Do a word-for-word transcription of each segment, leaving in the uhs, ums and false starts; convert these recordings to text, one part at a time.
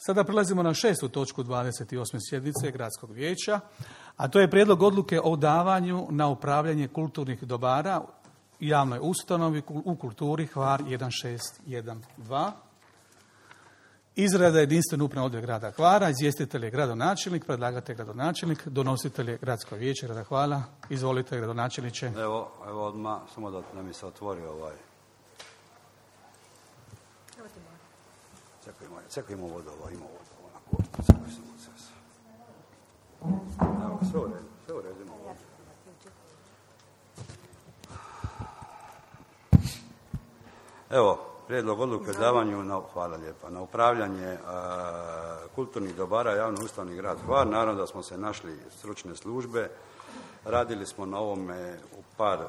Sada prelazimo na šestu točku dvadeset osme sjednice Gradskog vijeća, a to je prijedlog odluke o davanju na upravljanje kulturnih dobara javnoj ustanovi u kulturi Hvar jedan šest jedan dva. Izrada jedinstvene upravne odjel grada Hvara, izvjestitelj je gradonačelnik, predlagatelj gradonačelnik, donositelj je Gradsko vijeće grada Hvara. Izvolite, gradonačelniče. Evo, evo odmah, samo da nam je se otvori ovaj. Čekajmo, čekajmo vodu, ovo, ima vodu, onako, čekaj samo sve. Evo, sve u redu, sve u redu, ima vodu. Evo, prijedlog odluke o davanju, na, hvala lijepa, na upravljanje a, kulturnih dobara javno ustavni grad Hvar. Naravno da smo se našli stručne službe, radili smo na ovome u par, e,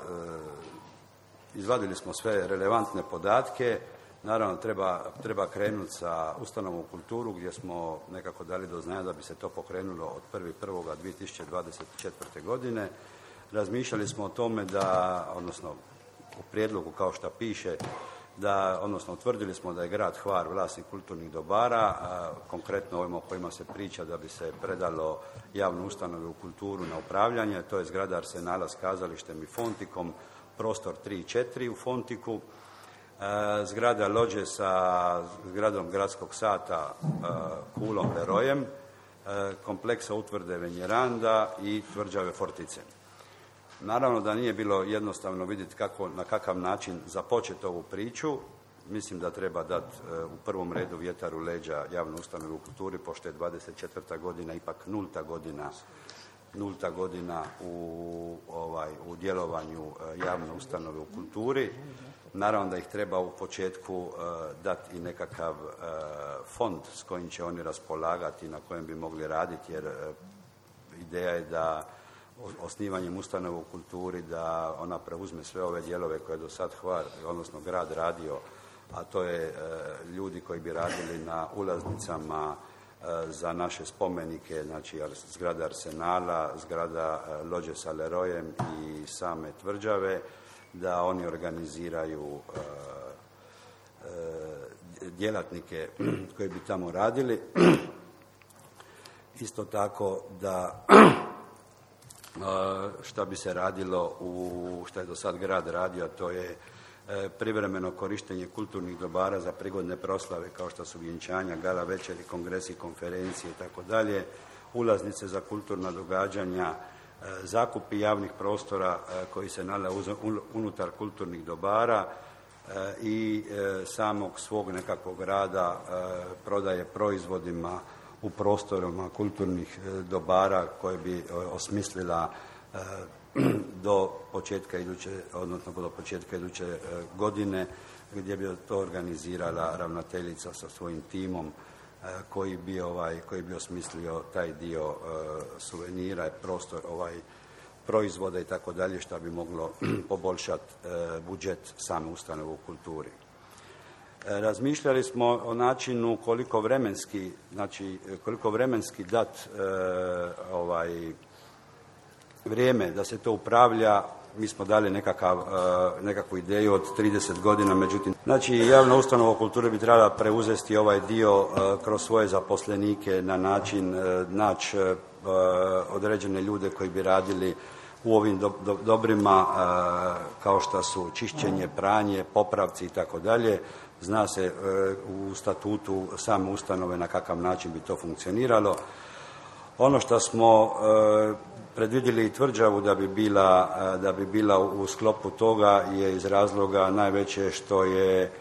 izvadili smo sve relevantne podatke. Naravno, treba, treba krenuti sa ustanovom u kulturu gdje smo nekako dali do znanja da bi se to pokrenulo od prvog prvog dvije tisuće dvadeset četvrte. godine. Razmišljali smo o tome da, odnosno u prijedlogu kao što piše, da, odnosno utvrdili smo da je grad Hvar vlasnik kulturnih dobara, a konkretno ovima o kojima se priča da bi se predalo javnu ustanovu u kulturu na upravljanje, to je zgrada Arsenala s kazalištem i fontikom, prostor tri i četiri u fontiku, zgrada Lođe sa zgradom gradskog sata Kulom Lerojem, kompleksa utvrde Venjeranda i tvrđave Fortice. Naravno da nije bilo jednostavno vidjeti kako, na kakav način započeti ovu priču. Mislim da treba dati u prvom redu vjetar u leđa javnu ustanovu u kulturi, pošto je dvadeset četvrta godina ipak nulta godina nulta godina u, ovaj, u djelovanju javne ustanove u kulturi. Naravno da ih treba u početku uh, dati i nekakav uh, fond s kojim će oni raspolagati, na kojem bi mogli raditi, jer uh, ideja je da osnivanjem ustanove u kulturi da ona preuzme sve ove dijelove koje je do sad Hvar, odnosno grad radio, a to je uh, ljudi koji bi radili na ulaznicama uh, za naše spomenike, znači zgrada Arsenala, zgrada uh, Lođe sa Lerojem i same tvrđave, da oni organiziraju uh, uh, djelatnike koji bi tamo radili. Isto tako da uh, šta bi se radilo u što je do sad grad radio, a to je uh, privremeno korištenje kulturnih dobara za prigodne proslave kao što su vjenčanja, gala večeri, kongresi, konferencije i tako dalje, ulaznice za kulturna događanja, zakupi javnih prostora koji se nalaze unutar kulturnih dobara i samog svog nekakvog rada prodaje proizvodima u prostorima kulturnih dobara koje bi osmislila do početka iduće, odnosno do početka iduće godine, gdje bi to organizirala ravnateljica sa svojim timom koji bi ovaj koji bi osmislio taj dio uh, suvenira, prostor ovaj proizvoda i tako dalje, što bi moglo poboljšati uh, budžet same ustanove u kulturi. Uh, razmišljali smo o načinu koliko vremenski, znači koliko vremenski dat uh, ovaj vrijeme da se to upravlja. Mi smo dali nekakav, uh, nekakvu ideju od trideset godina, međutim, znači javna ustanova kulture bi trebala preuzeti ovaj dio uh, kroz svoje zaposlenike na način uh, naći uh, određene ljude koji bi radili u ovim do, do, dobrima uh, kao što su čišćenje, pranje, popravci i tako dalje. Zna se uh, u statutu same ustanove na kakav način bi to funkcioniralo. Ono što smo uh, predvidjeli i tvrđavu da bi bila, da bi bila u sklopu toga je iz razloga najveće što je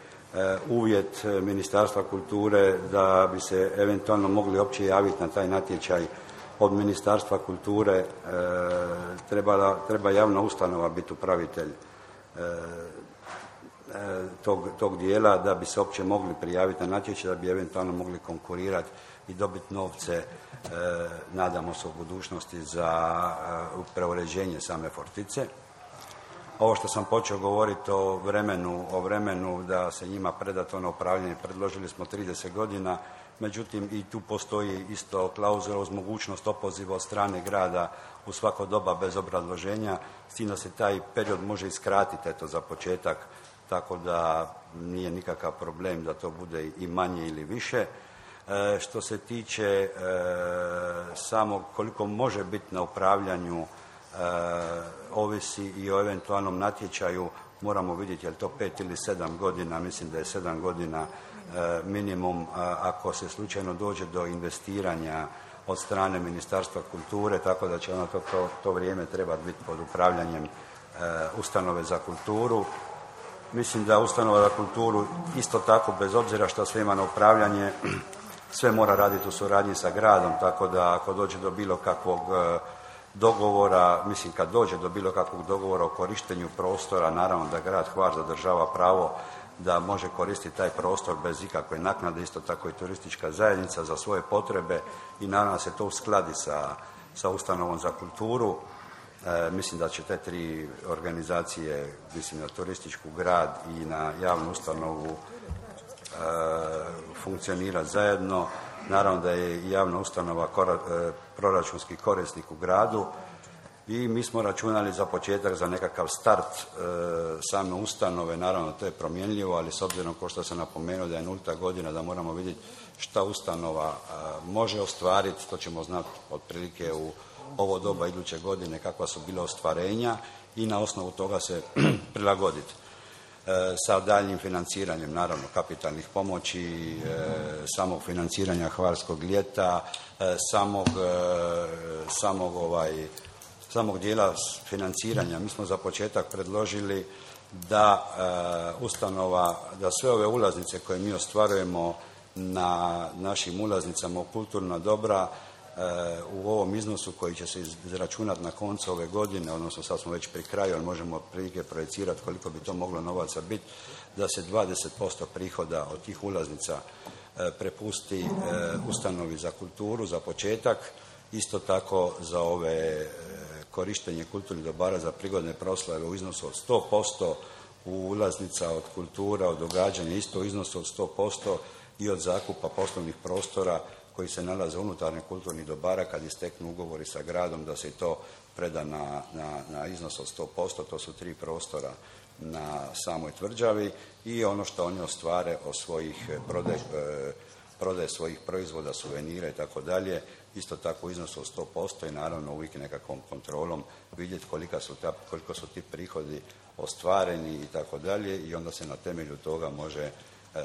uvjet Ministarstva kulture da bi se eventualno mogli opće javiti na taj natječaj od Ministarstva kulture. Treba, treba javna ustanova biti upravitelj tog, tog dijela da bi se opće mogli prijaviti na natječaj, da bi eventualno mogli konkurirati i dobiti novce, e, nadamo se u budućnosti, za e, preuređenje same Fortice. Ovo što sam počeo govoriti o vremenu, o vremenu da se njima preda to na upravljanje, predložili smo trideset godina, međutim i tu postoji isto klauzula uz mogućnost opoziva od strane grada u svako doba bez obrazloženja, s tim da se taj period može iskratiti eto za početak, tako da nije nikakav problem da to bude i manje ili više. E, što se tiče e, samog koliko može biti na upravljanju, e, ovisi i o eventualnom natječaju, moramo vidjeti je li to pet ili sedam godina, mislim da je sedam godina e, minimum, a, ako se slučajno dođe do investiranja od strane Ministarstva kulture, tako da će ono to, to, to vrijeme trebati biti pod upravljanjem e, ustanove za kulturu. Mislim da ustanova za kulturu isto tako, bez obzira što sve ima na upravljanje, sve mora raditi u suradnji sa gradom, tako da ako dođe do bilo kakvog e, dogovora, mislim kad dođe do bilo kakvog dogovora o korištenju prostora, naravno da grad Hvar zadržava pravo da može koristiti taj prostor bez ikakve naknade, isto tako i turistička zajednica za svoje potrebe i naravno se to uskladi sa, sa ustanovom za kulturu. E, mislim da će te tri organizacije, mislim na turističku, grad i na javnu ustanovu e, funkcionirati zajedno. Naravno da je javna ustanova kora, e, proračunski korisnik u gradu i mi smo računali za početak za nekakav start e, same ustanove, naravno to je promjenljivo, ali s obzirom kao što sam napomenuo da je nulta godina, da moramo vidjeti šta ustanova e, može ostvariti, to ćemo znati otprilike u ovo doba iduće godine kakva su bila ostvarenja i na osnovu toga se prilagoditi. E, sa daljnjim financiranjem, naravno, kapitalnih pomoći, e, samog financiranja Hvarskog ljeta, e, samog, e, samog, ovaj, samog dijela financiranja. Mi smo za početak predložili da e, ustanova, da sve ove ulaznice koje mi ostvarujemo na našim ulaznicama u kulturna dobra u ovom iznosu koji će se izračunati na koncu ove godine, odnosno sad smo već pri kraju, ali možemo otprilike projecirati koliko bi to moglo novaca biti, da se dvadeset posto prihoda od tih ulaznica prepusti ustanovi za kulturu za početak, isto tako za ove korištenje kulturnih dobara za prigodne proslave u iznosu od sto posto, u ulaznica od kultura, od događanja isto u iznosu od sto posto i od zakupa poslovnih prostora koji se nalaze unutar kulturnih dobara kad isteknu ugovori sa gradom da se to preda na, na, na iznos od sto posto, to su tri prostora na samoj tvrđavi i ono što oni ostvare od svojih prodaj, prodaje svojih proizvoda, suvenira i tako dalje, isto tako u iznosu od sto posto i naravno uvijek nekakvom kontrolom vidjeti kolika su ta, koliko su ti prihodi ostvareni i tako dalje i onda se na temelju toga može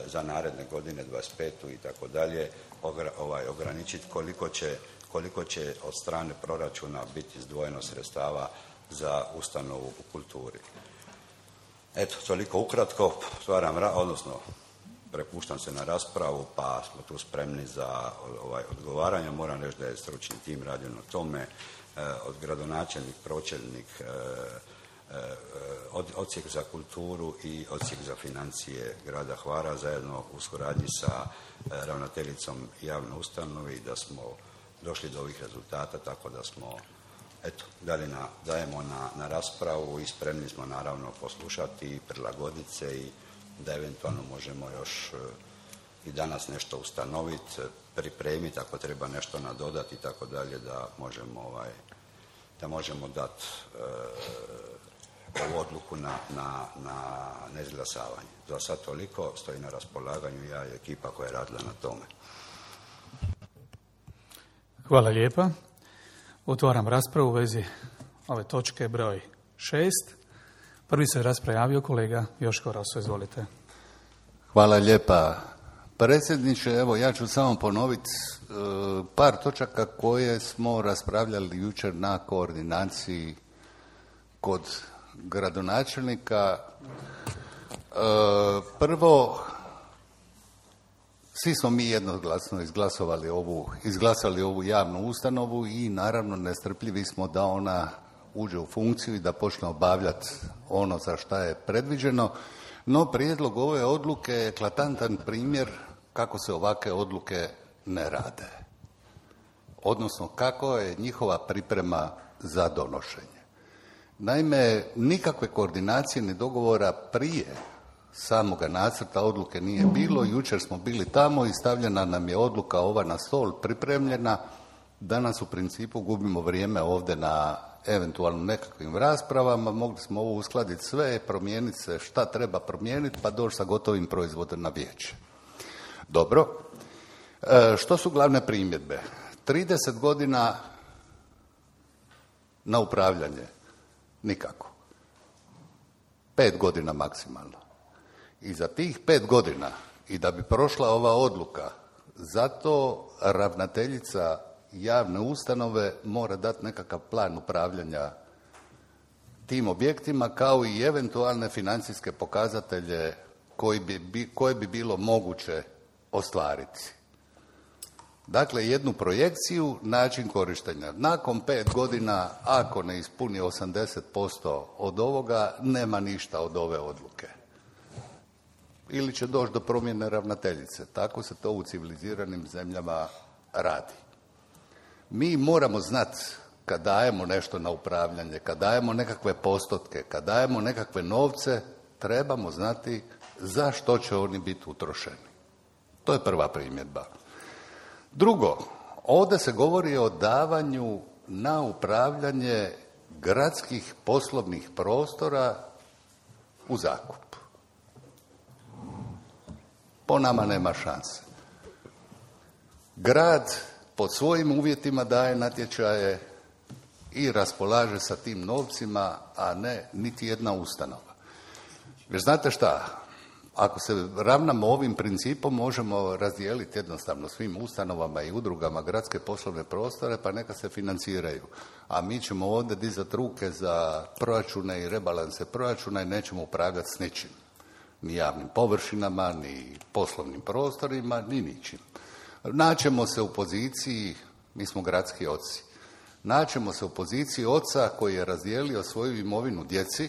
za naredne godine dvadeset petu i tako dalje ovaj, ograničiti koliko će, koliko će od strane proračuna biti izdvojeno sredstava za ustanovu u kulturi. Eto, toliko ukratko, stvaram, odnosno prepuštam se na raspravu, pa smo tu spremni za ovaj, odgovaranje. Moram reći da je stručni tim radio na tome, od gradonačelnik, pročelnik, odsjek za kulturu i odsjek za financije grada Hvara zajedno u suradnji sa ravnateljicom javne ustanove i da smo došli do ovih rezultata, tako da smo eto, dali na, dajemo na, na raspravu i spremni smo naravno poslušati i prilagoditi se i da eventualno možemo još i danas nešto ustanoviti, pripremiti ako treba nešto nadodati i tako dalje da možemo ovaj, da možemo dati e, ovu odluku na, na, na neizglasavanje. Za sad toliko, stoji na raspolaganju ja i ekipa koja je radila na tome. Hvala lijepa. Otvaram raspravu u vezi ove točke broj šest. Prvi se raspravi javio kolega Joško Roso, izvolite. Hvala lijepa. Predsjedniče, evo ja ću samo ponoviti e, par točaka koje smo raspravljali jučer na koordinaciji kod gradonačelnika. E, prvo, svi smo mi jednoglasno izglasovali ovu, izglasali ovu javnu ustanovu i naravno nestrpljivi smo da ona uđe u funkciju i da počne obavljati ono za šta je predviđeno. No, prijedlog ove odluke je eklatantan primjer kako se ovakve odluke ne rade. Odnosno, kako je njihova priprema za donošenje. Naime, nikakve koordinacije ni dogovora prije samoga nacrta odluke nije bilo. Jučer smo bili tamo i stavljena nam je odluka ova na stol pripremljena. Danas u principu gubimo vrijeme ovdje na eventualno nekakvim raspravama. Mogli smo ovo uskladiti sve, promijeniti se šta treba promijeniti pa doći sa gotovim proizvodom na vijeće. Dobro. E, što su glavne primjedbe? trideset godina na upravljanje? Nikako. Pet godina maksimalno. I za tih pet godina, i da bi prošla ova odluka, zato ravnateljica javne ustanove mora dati nekakav plan upravljanja tim objektima, kao i eventualne financijske pokazatelje koji bi, koje bi bilo moguće ostvariti. Dakle, jednu projekciju, način korištenja. Nakon pet godina, ako ne ispuni osamdeset posto od ovoga, nema ništa od ove odluke. Ili će doći do promjene ravnateljice. Tako se to u civiliziranim zemljama radi. Mi moramo znati kad dajemo nešto na upravljanje, kad dajemo nekakve postotke, kad dajemo nekakve novce, trebamo znati za što će oni biti utrošeni. To je prva primjedba. Drugo, ovdje se govori o davanju na upravljanje gradskih poslovnih prostora u zakup. Po nama nema šanse. Grad pod svojim uvjetima daje natječaje i raspolaže sa tim novcima, a ne niti jedna ustanova. Jer znate šta? Ako se ravnamo ovim principom, možemo razdijeliti jednostavno svim ustanovama i udrugama gradske poslovne prostore, pa neka se financiraju. A mi ćemo ovdje dizati ruke za proračune i rebalanse proračuna i nećemo upravljati s ničim. Ni javnim površinama, ni poslovnim prostorima, ni ničim. Naćemo se u poziciji, mi smo gradski oci, naćemo se u poziciji oca koji je razdijelio svoju imovinu djeci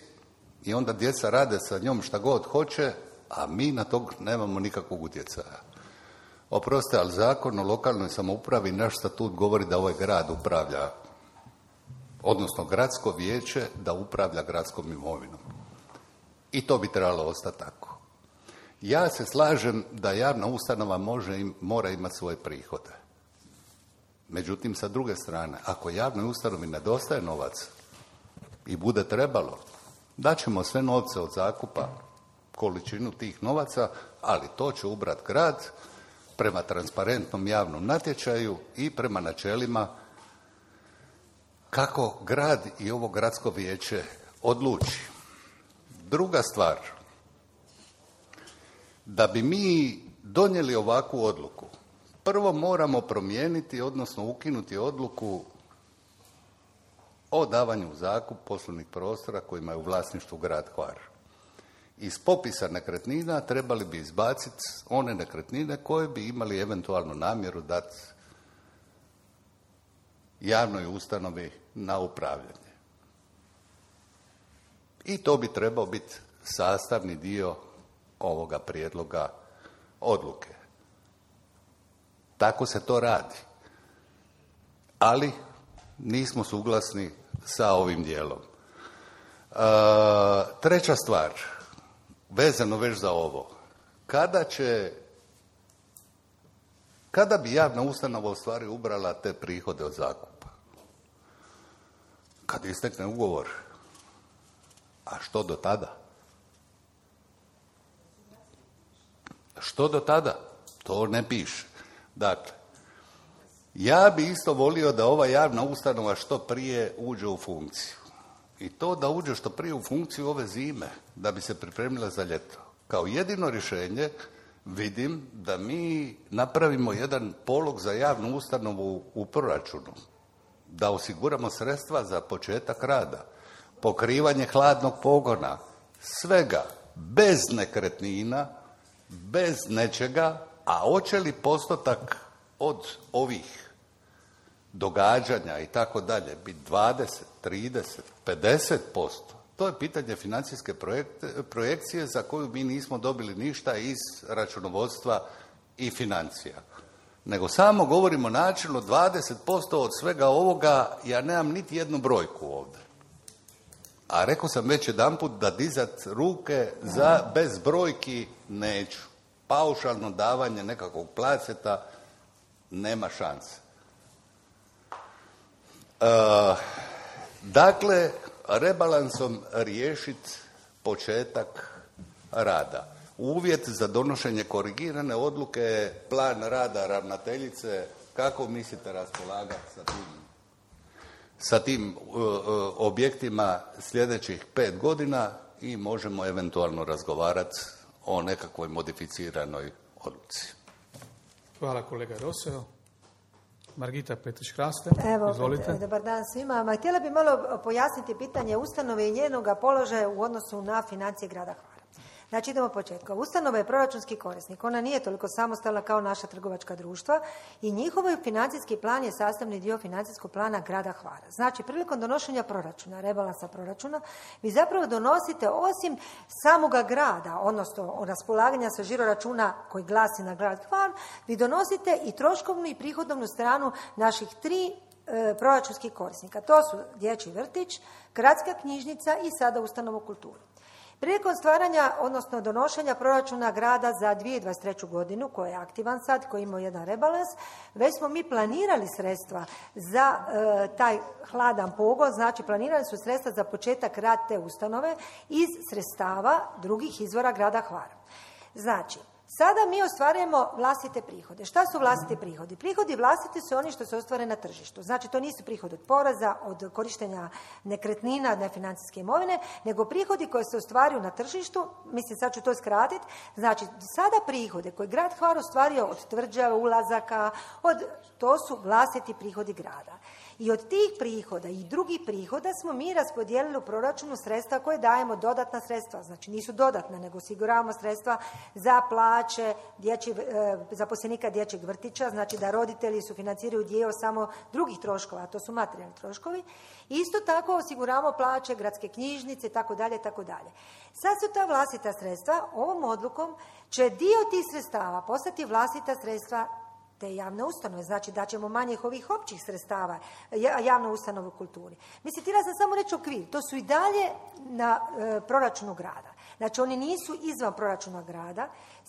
i onda djeca rade sa njom šta god hoće, a mi na tog nemamo nikakvog utjecaja. Oprostite, ali zakon o lokalnoj samoupravi, naš statut govori da ovaj grad upravlja, odnosno gradsko vijeće da upravlja gradskom imovinom. I to bi trebalo ostati tako. Ja se slažem da javna ustanova može im, mora imati svoje prihode. Međutim, sa druge strane, ako javnoj ustanovi nedostaje novac i bude trebalo, daćemo sve novce od zakupa, količinu tih novaca, ali to će ubrati grad prema transparentnom javnom natječaju i prema načelima kako grad i ovo gradsko vijeće odluči. Druga stvar, da bi mi donijeli ovakvu odluku, prvo moramo promijeniti, odnosno ukinuti odluku o davanju u zakup poslovnih prostora kojima je u vlasništvu grad Hvar. Iz popisa nekretnina trebali bi izbaciti one nekretnine koje bi imali eventualno namjeru dati javnoj ustanovi na upravljanje. I to bi trebao biti sastavni dio ovoga prijedloga odluke. Tako se to radi. Ali nismo suglasni sa ovim dijelom. E, treća stvar, vezano već za ovo. Kada će, kada bi javna ustanova u stvari ubrala te prihode od zakupa? Kad istekne ugovor. A što do tada? Što do tada? To ne piše. Dakle, ja bi isto volio da ova javna ustanova što prije uđe u funkciju. I to da uđe što prije u funkciju ove zime, da bi se pripremila za ljeto. Kao jedino rješenje vidim da mi napravimo jedan polog za javnu ustanovu u proračunu. Da osiguramo sredstva za početak rada, pokrivanje hladnog pogona, svega, bez nekretnina, bez nečega, a hoće li postotak od ovih događanja i tako dalje biti dvadeset, trideset, pedeset posto? To je pitanje financijske projekcije za koju mi nismo dobili ništa iz računovodstva i financija. Nego samo govorimo načelno dvadeset posto od svega ovoga, ja nemam niti jednu brojku ovdje. A rekao sam već jedanput da dizat ruke za bez brojki neću. Paušalno davanje nekakvog placeta nema šanse. E, dakle, rebalansom riješiti početak rada. uvjet za donošenje korigirane odluke je plan rada ravnateljice. Kako mislite raspolagati sa tim, sa tim uh, uh, objektima sljedećih pet godina i možemo eventualno razgovarati o nekakvoj modificiranoj odluci. Hvala kolega Roseo. Margita Petrić-Hraste, Evo, izvolite. Dobar dan svima. Ma, htjela bi malo pojasniti pitanje ustanove i njenoga položaja u odnosu na financije grada Hvara. Znači, idemo od početka. Ustanova je proračunski korisnik. Ona nije toliko samostalna kao naša trgovačka društva i njihov financijski plan je sastavni dio financijskog plana grada Hvara. Znači, prilikom donošenja proračuna, rebalansa proračuna, vi zapravo donosite osim samoga grada, odnosno raspolaganja sa žiroračuna koji glasi na grad Hvar, vi donosite i troškovnu i prihodovnu stranu naših tri e, proračunskih korisnika. To su dječji vrtić, gradska knjižnica i sada ustanova kulture. Prilikom stvaranja, odnosno donošenja proračuna grada za dvije tisuće dvadeset treću godinu, koji je aktivan sad, koji ima jedan rebalans, već smo mi planirali sredstva za e, taj hladan pogon, znači planirali su sredstva za početak rada te ustanove iz sredstava drugih izvora grada Hvara. Znači, sada mi ostvarujemo vlastite prihode. Šta su vlastiti prihodi? Prihodi vlastiti su oni što se ostvare na tržištu. Znači, to nisu prihodi od poreza, od korištenja nekretnina, nefinancijske imovine, nego prihodi koji se ostvaruju na tržištu, mislim, sad ću to skratiti, znači, sada prihode koje grad Hvar ostvario od tvrđava, ulazaka, od, to su vlastiti prihodi grada. I od tih prihoda i drugih prihoda smo mi raspodijelili u proračunu sredstva koje dajemo, dodatna sredstva, znači nisu dodatna, nego osiguravamo sredstva za plaće dječji, e, zaposlenika dječjeg vrtića, znači da roditelji sufinanciraju dio samo drugih troškova, a to su materijalni troškovi. Isto tako osiguravamo plaće gradske knjižnice, tako dalje, tako dalje. Sad su ta vlastita sredstva, ovom odlukom će dio tih sredstava postati vlastita sredstva te javne ustanove, znači da ćemo manjih ovih općih sredstava javnu ustanovu u kulturi. Mislim, htjela sam samo reći okvir, to su i dalje na e, proračunu grada. Znači, oni nisu izvan proračuna grada,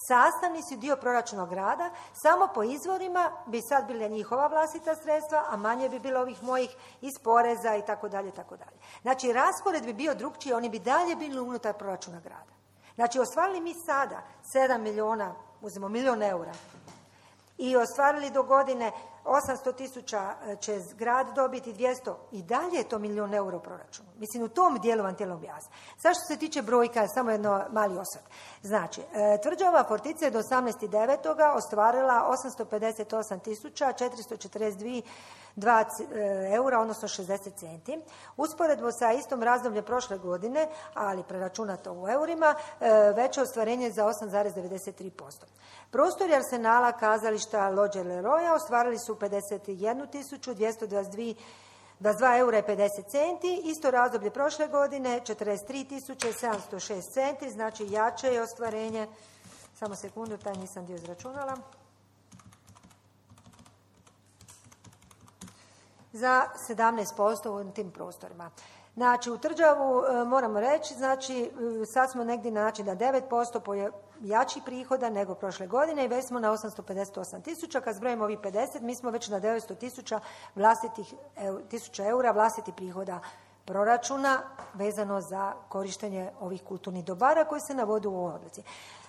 sastavni su dio proračuna grada, samo po izvorima bi sad bile njihova vlastita sredstva, a manje bi bilo ovih mojih iz poreza i tako dalje, tako dalje. Znači, raspored bi bio drukčiji, oni bi dalje bili unutar proračuna grada. Znači, ostvarili mi sada sedam milijuna, uzmemo milijon eura, i ostvarili do godine osamsto tisuća će grad dobiti, dvjesto, i dalje je to milijun eura u proračunu. Mislim, u tom dijelu vam htjela objasniti. Sad što se tiče brojka, samo jedno mali osvrt. Znači, tvrđava Fortica je do osamnaestog devetog ostvarila osamsto pedeset osam tisuća četiristo četrdeset dva eura, odnosno šezdeset centi. Usporedbo sa istom razdobljem prošle godine, ali preračunato u eurima, veće ostvarenje za osam zarez devedeset tri posto. Prostori Arsenala, kazališta Lođe Leroja ostvarili su pedeset jednu tisuću dvjesto dvadeset dva eura i pedeset centi, isto razdoblje prošle godine četrdeset tri tisuće sedamsto šest centi, znači jače je ostvarenje, samo sekundu, taj nisam dio izračunala, za sedamnaest posto u tim prostorima. Znači, u Tvrđavu moramo reći, znači, sad smo negdje na način da devet posto jači prihoda nego prošle godine i već smo na osamsto pedeset osam tisuća. Kad zbrojimo ovih pedeset, mi smo već na devetsto tisuća vlastitih tisuća eura vlastitih prihoda proračuna vezano za korištenje ovih kulturnih dobara koji se navode u ovoj odluci.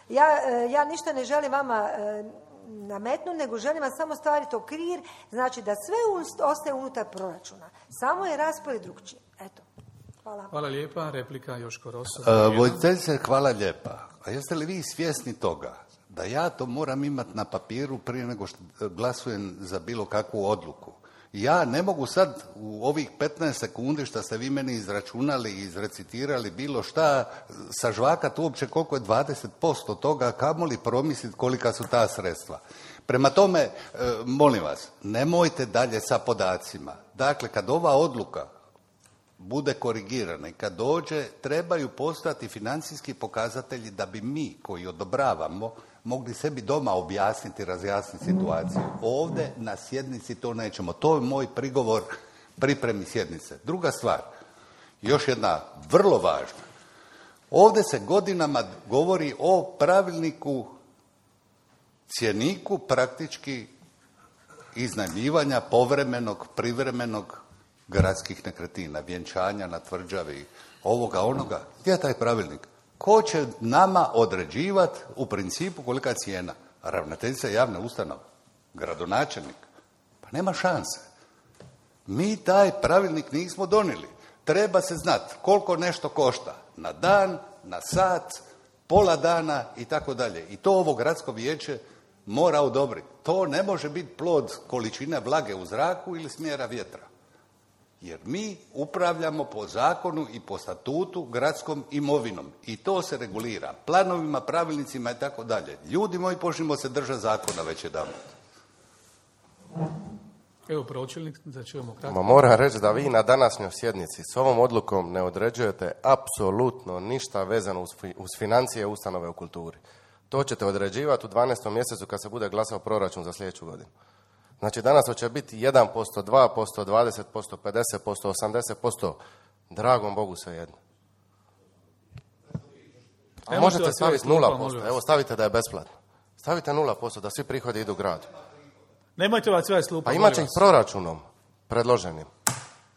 Ja, ja ništa ne želim vama nametnu, nego želim vam samo staviti okvir, znači da sve ostaje unutar proračuna. Samo je raspored drukčiji. Eto. Hvala. Hvala lijepa. Replika Joško Roso. Uh, Voditeljice, hvala lijepa. A jeste li vi svjesni toga da ja to moram imati na papiru prije nego što glasujem za bilo kakvu odluku? Ja ne mogu sad u ovih petnaest sekundi što ste vi meni izračunali i izrecitirali bilo šta sažvakat uopće koliko je dvadeset posto toga, kamoli promisliti kolika su ta sredstva. Prema tome, e, molim vas, nemojte dalje sa podacima. Dakle, kad ova odluka bude korigirana i kad dođe, trebaju postati financijski pokazatelji da bi mi koji odobravamo mogli sebi doma objasniti, razjasniti situaciju. Ovdje na sjednici to nećemo. To je moj prigovor pripremi sjednice. Druga stvar, još jedna vrlo važna. Ovdje se godinama govori o pravilniku, cjeniku praktički iznajmljivanja povremenog, privremenog gradskih nekretnina, vjenčanja na tvrđavi, ovoga, onoga. Gdje je taj pravilnik? Ko će nama određivati u principu kolika cijena? Ravnateljica javne ustanove? Gradonačelnik? Pa nema šanse. Mi taj pravilnik nismo donijeli. Treba se znati koliko nešto košta na dan, na sat, pola dana i tako dalje. I to ovo gradsko vijeće mora odobriti. To ne može biti plod količine vlage u zraku ili smjera vjetra. Jer mi upravljamo po zakonu i po statutu gradskom imovinom. I to se regulira planovima, pravilnicima i tako dalje. Ljudi moji, počnimo se držati zakona već jedanput. Evo pročelnik, da čujemo kratko. Ma moram reći da vi na današnjoj sjednici s ovom odlukom ne određujete apsolutno ništa vezano uz, fi, uz financije ustanove u kulturi. To ćete određivati u dvanaestom mjesecu kad se bude glasao proračun za sljedeću godinu. Znači danas će biti jedan posto, dva posto, dvadeset posto, pedeset posto, osamdeset posto. Dragom Bogu svejedno. A možete staviti nula posto. Evo stavite da je besplatno. Stavite nula posto da svi prihodi idu gradu. Nemojte vas sve slupa. Pa imat će ih proračunom predloženim.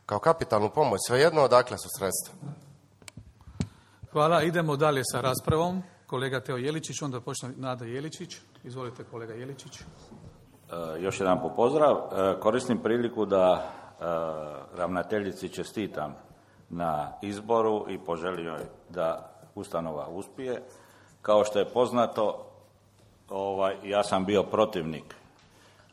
Kao kapitalnu pomoć. Svejedno odakle su sredstva. Hvala. Idemo dalje sa raspravom. Kolega Teo Jeličić, onda počne Nada Jeličić. Izvolite kolega Jeličić. E, još jedan po pozdrav. E, koristim priliku da e, ravnateljici čestitam na izboru i poželim joj da ustanova uspije. Kao što je poznato, ovaj, ja sam bio protivnik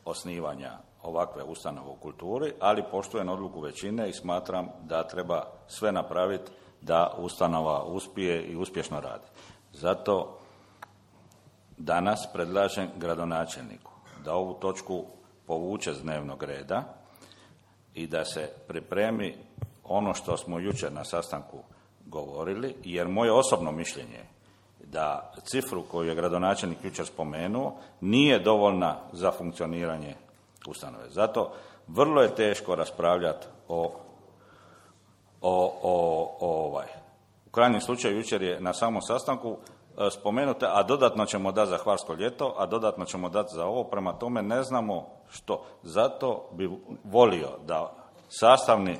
osnivanja ovakve ustanove u kulturi, ali poštujem odluku većine i smatram da treba sve napraviti da ustanova uspije i uspješno radi. Zato danas predlažem gradonačelniku da ovu točku povuče s dnevnog reda i da se pripremi ono što smo jučer na sastanku govorili, jer moje osobno mišljenje je da cifru koju je gradonačelnik jučer spomenuo nije dovoljna za funkcioniranje ustanove. Zato vrlo je teško raspravljati o, o, o, o ovaj. U krajnjem slučaju jučer je na samom sastanku e, spomenuto, a dodatno ćemo dati za Hvarsko ljeto, a dodatno ćemo dati za ovo, prema tome ne znamo što. Zato bi volio da sastavni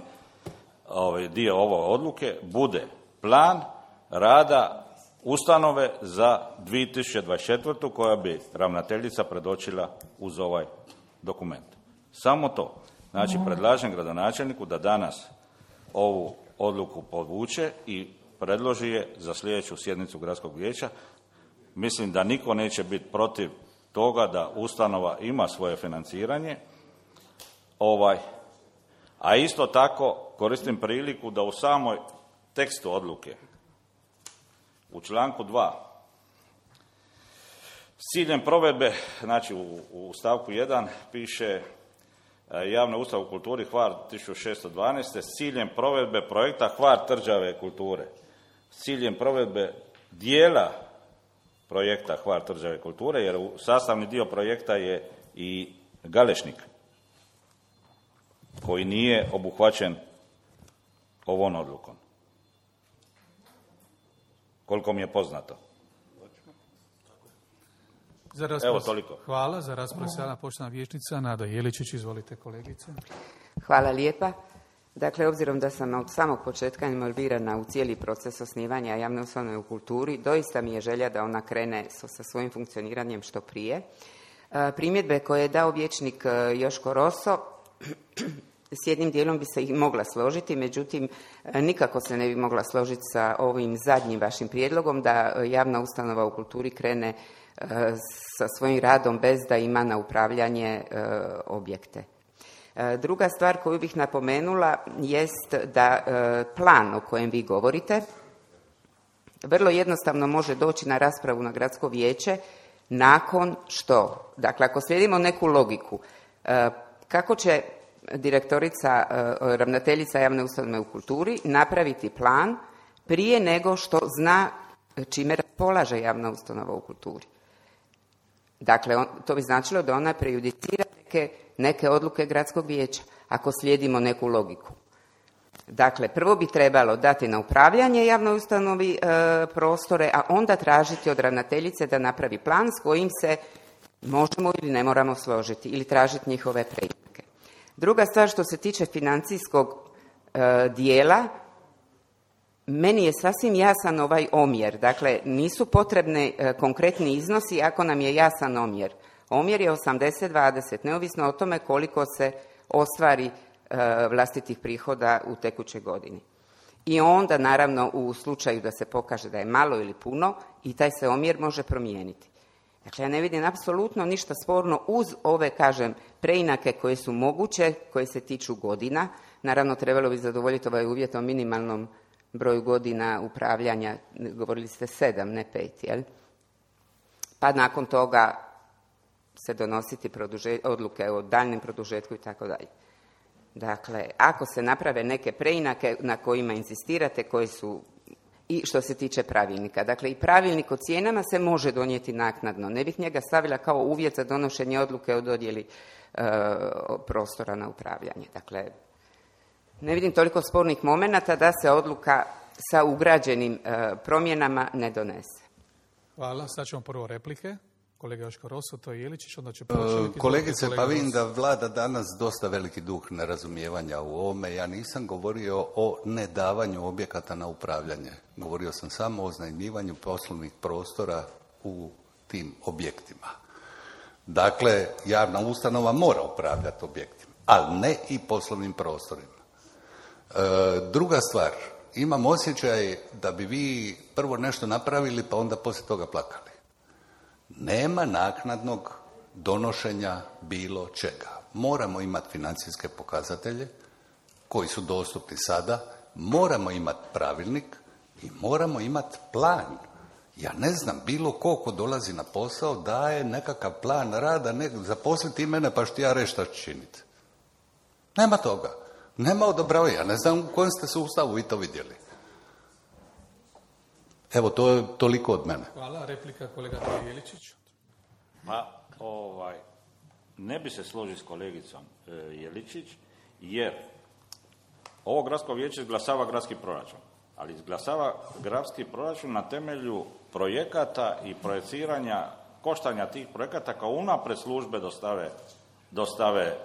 ovaj, dio ove odluke bude plan rada ustanove za dvije tisuće dvadeset četvrtu koja bi ravnateljica predočila uz ovaj dokument. Samo to. Znači, predlažem gradonačelniku da danas ovu odluku povuče i predloži je za sljedeću sjednicu gradskog vijeća. Mislim da niko neće biti protiv toga da ustanova ima svoje financiranje. Ovaj, a isto tako koristim priliku da u samoj tekstu odluke u članku dva s ciljem provedbe, znači u, u stavku jedan piše javna ustanova u kulturi Hvar tisuću šesto dvanaest s ciljem provedbe projekta Hvar tvrđave kulture, s ciljem provedbe dijela projekta Hvar tvrđave kulture, jer u sastavni dio projekta je i Galešnik koji nije obuhvaćen ovom odlukom. Koliko mi je poznato. Za raspravu, Evo toliko. Hvala. Za raspravu sada poštovana vijećnica Nada Jeličić. Izvolite kolegice. Hvala lijepa. Dakle, obzirom da sam od samog početka involvirana u cijeli proces osnivanja javne ustanove u kulturi, doista mi je želja da ona krene sa svojim funkcioniranjem što prije. Primjedbe koje je dao vijećnik Joško Roso, s jednim dijelom bi se i mogla složiti, međutim, nikako se ne bi mogla složiti sa ovim zadnjim vašim prijedlogom da javna ustanova u kulturi krene sa svojim radom bez da ima na upravljanje objekte. Druga stvar koju bih napomenula jest da plan o kojem vi govorite vrlo jednostavno može doći na raspravu na gradsko vijeće nakon što, dakle ako slijedimo neku logiku, kako će direktorica, ravnateljica javne ustanove u kulturi napraviti plan prije nego što zna čime raspolaže javna ustanova u kulturi. Dakle, on, to bi značilo da ona prejudicira neke, neke odluke gradskog vijeća, ako slijedimo neku logiku. Dakle, prvo bi trebalo dati na upravljanje javnoj ustanovi e, prostore, a onda tražiti od ravnateljice da napravi plan s kojim se možemo ili ne moramo složiti ili tražiti njihove preinake. Druga stvar što se tiče financijskog e, dijela, meni je sasvim jasan ovaj omjer. Dakle, nisu potrebni e, konkretni iznosi ako nam je jasan omjer. Omjer je osamdeset dvadeset, neovisno o tome koliko se ostvari e, vlastitih prihoda u tekućoj godini. I onda, naravno, u slučaju da se pokaže da je malo ili puno, i taj se omjer može promijeniti. Dakle, ja ne vidim apsolutno ništa sporno uz ove, kažem, preinake koje su moguće, koje se tiču godina. Naravno, trebalo bi zadovoljiti ovaj uvjet o minimalnom broju godina upravljanja, govorili ste sedam, ne pet, jel? Pa nakon toga se donositi produže, odluke o daljnjem produžetku i tako dalje. Dakle, ako se naprave neke preinake na kojima insistirate, koji su i što se tiče pravilnika. Dakle, i pravilnik o cijenama se može donijeti naknadno. Ne bih njega stavila kao uvjet za donošenje odluke o dodjeli e, prostora na upravljanje. Dakle, ne vidim toliko spornih momenata da se odluka sa ugrađenim e, promjenama ne donese. Hvala. Sad ćemo prvo replike. Kolega Joško Roso, to je Jeličić, onda će... E, kolegice, pa vidim da vlada danas dosta veliki duh nerazumijevanja u ovome. Ja nisam govorio o nedavanju objekata na upravljanje. Govorio sam samo o iznajmljivanju poslovnih prostora u tim objektima. Dakle, javna ustanova mora upravljati objektima, ali ne i poslovnim prostorima. E, druga stvar, imam osjećaj da bi vi prvo nešto napravili, pa onda poslije toga plakali. Nema naknadnog donošenja bilo čega. Moramo imati financijske pokazatelje koji su dostupni sada, moramo imati pravilnik i moramo imati plan. Ja ne znam, bilo ko ko dolazi na posao daje nekakav plan rada, ne, zaposliti mene pa što ja reći šta ću činiti. Nema toga. Nema odobravanja. Ja ne znam u kojem ste sustavu vi to vidjeli. Evo, to je toliko od mene. Hvala. Replika kolega Jeličić. Pa, ovaj, ne bi se složio s kolegicom e, Jeličić, jer ovo gradsko vijeće izglasava gradski proračun, ali izglasava gradski proračun na temelju projekata i projeciranja koštanja tih projekata kao unaprijed službe dostave, dostave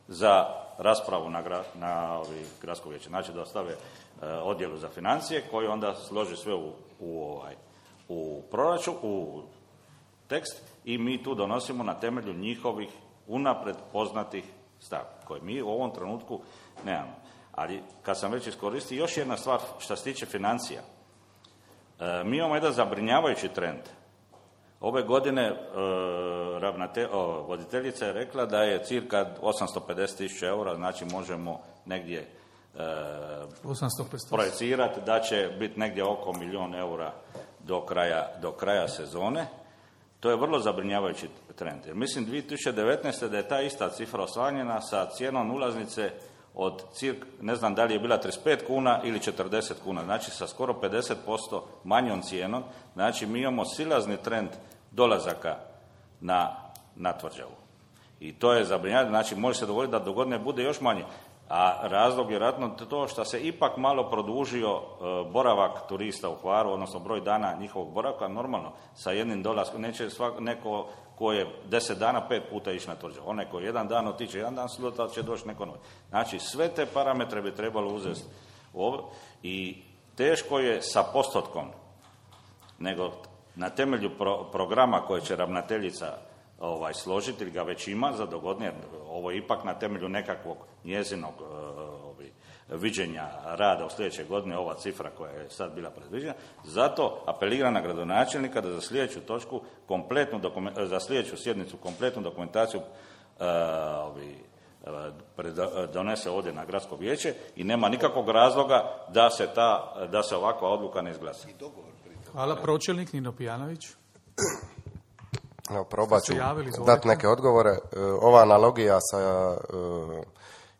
za raspravu na, gra, na ovi gradsko vijeće. Znači dostave e, odjelu za financije koji onda složi sve u, u, ovaj, u proračun, u tekst i mi tu donosimo na temelju njihovih unaprijed poznatih stavki koje mi u ovom trenutku nemamo. Ali kad sam već iskoristio, još jedna stvar što se tiče financija. E, mi imamo jedan zabrinjavajući trend. Ove godine e, ravnate, o, voditeljica je rekla da je cirka osamsto pedeset tisuća eura, znači možemo negdje e, projecirati da će biti negdje oko milijun eura do kraja, do kraja sezone. To je vrlo zabrinjavajući trend. Jer mislim dvije tisuće devetnaeste. da je ta ista cifra osvanjena sa cijenom ulaznice od cirka, ne znam da li je bila trideset pet kuna ili četrdeset kuna, znači sa skoro pedeset posto manjom cijenom. Znači mi imamo silazni trend dolazaka na, na tvrđavu. I to je zabrinjavajuće, znači može se dogoditi da do godine bude još manje. A razlog je vjerojatno to što se ipak malo produžio e, boravak turista u Hvaru, odnosno broj dana njihovog boravka, normalno, sa jednim dolaskom. Neće svak, neko ko je deset dana, pet puta ići na tvrđavu. Onaj ko jedan dan otiče, jedan dan sutra će doći neko novi. Znači, sve te parametre bi trebalo uzeti u ovo i teško je sa postotkom, nego na temelju pro, programa koje će ravnateljica ovaj, složiti, ili ga već ima za dogodne, ovo je ipak na temelju nekakvog njezinog ovaj, viđenja rada u sljedeće godine, ova cifra koja je sad bila predviđena. Zato apeliram na gradonačelnika da za sljedeću točku, kompletnu dokument, za sljedeću sjednicu kompletnu dokumentaciju uh, ovaj, donese ovdje na gradsko vijeće i nema nikakvog razloga da se, ta, da se ovakva odluka ne izglasa. Hvala. Pročelnik Nino Pijanović. Evo, probat ću dati neke odgovore. Ova analogija sa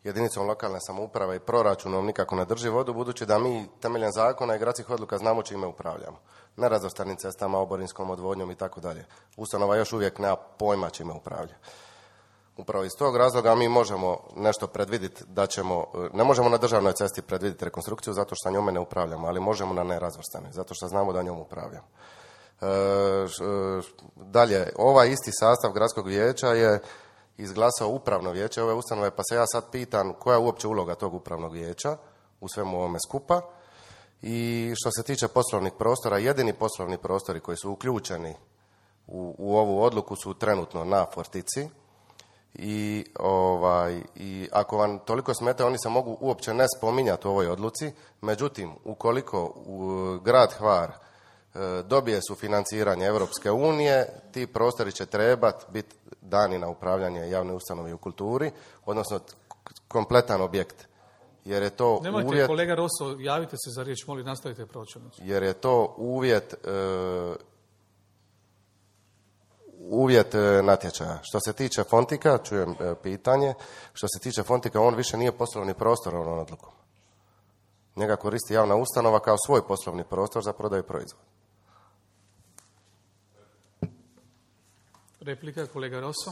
jedinicom lokalne samouprave i proračunom nikako ne drži vodu, budući da mi temeljem zakona i gradskih odluka znamo čime upravljamo. Nerazvrstanim cestama, oborinskom odvodnjom i tako dalje. Ustanova još uvijek nema pojma čime upravlja. Upravo iz tog razloga mi možemo nešto predvidjeti da ćemo, ne možemo na državnoj cesti predvidjeti rekonstrukciju zato što njome ne upravljamo, ali možemo na nerazvrstanoj, zato što znamo da njom upravljamo. E, dalje, ovaj isti sastav gradskog vijeća je izglasao upravno vijeće ove ustanove, pa se ja sad pitam koja je uopće uloga tog upravnog vijeća u svemu ovome skupa I što se tiče poslovnih prostora, jedini poslovni prostori koji su uključeni u, u ovu odluku su trenutno na Fortici. I, ovaj, I ako vam toliko smeta, oni se mogu uopće ne spominjati u ovoj odluci. Međutim, ukoliko u grad Hvar e, dobije sufinanciranje Europske unije, ti prostori će trebati biti dani na upravljanje javne ustanove u kulturi, odnosno kompletan objekt. Jer je to Nemojte, uvjet, kolega Roso, javite se za riječ, molim, nastavite pročelnicu. Jer je to uvjet e, uvjet e, natječaja. Što se tiče Fontika, čujem e, pitanje, što se tiče Fontika, on više nije poslovni prostor ovom odlukom. Njega koristi javna ustanova kao svoj poslovni prostor za prodaju proizvoda. Replika, kolega Roso.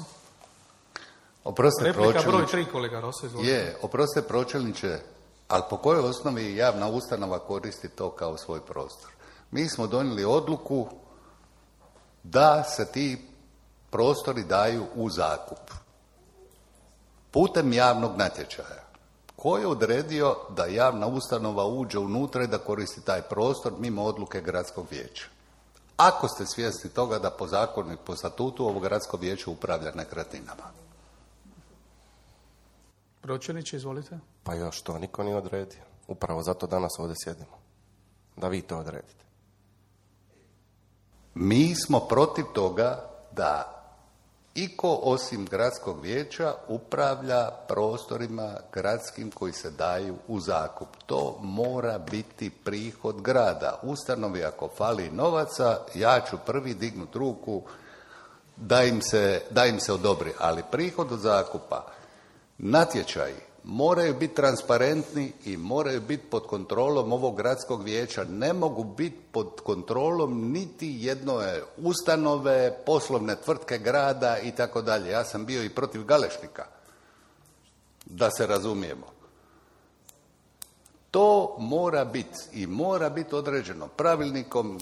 Oprostite, Replika broj pročelniče. tri, kolega Roso, izvolite. Je, oprostite, pročelniče, ali po kojoj osnovi javna ustanova koristi to kao svoj prostor? Mi smo donijeli odluku da se ti prostori daju u zakup putem javnog natječaja. Ko je odredio da javna ustanova uđe unutra i da koristi taj prostor mimo odluke gradskog vijeća? Ako ste svjesni toga da po zakonu i po statutu ovo gradsko vijeće upravlja nekretninama. Pročelniče, izvolite. Pa još to niko nije odredio. Upravo zato danas ovdje sjedimo. Da vi to odredite. Mi smo protiv toga da iko osim gradskog vijeća upravlja prostorima gradskim koji se daju u zakup. To mora biti prihod grada. Ustanovi ako fali novaca, ja ću prvi dignut ruku da im se, da im se odobri. Ali prihod od zakupa, natječaji moraju biti transparentni i moraju biti pod kontrolom ovog gradskog vijeća. Ne mogu biti pod kontrolom niti jedne ustanove, poslovne tvrtke grada i tako dalje. Ja sam bio i protiv Galešnika, da se razumijemo. To mora biti i mora biti određeno pravilnikom,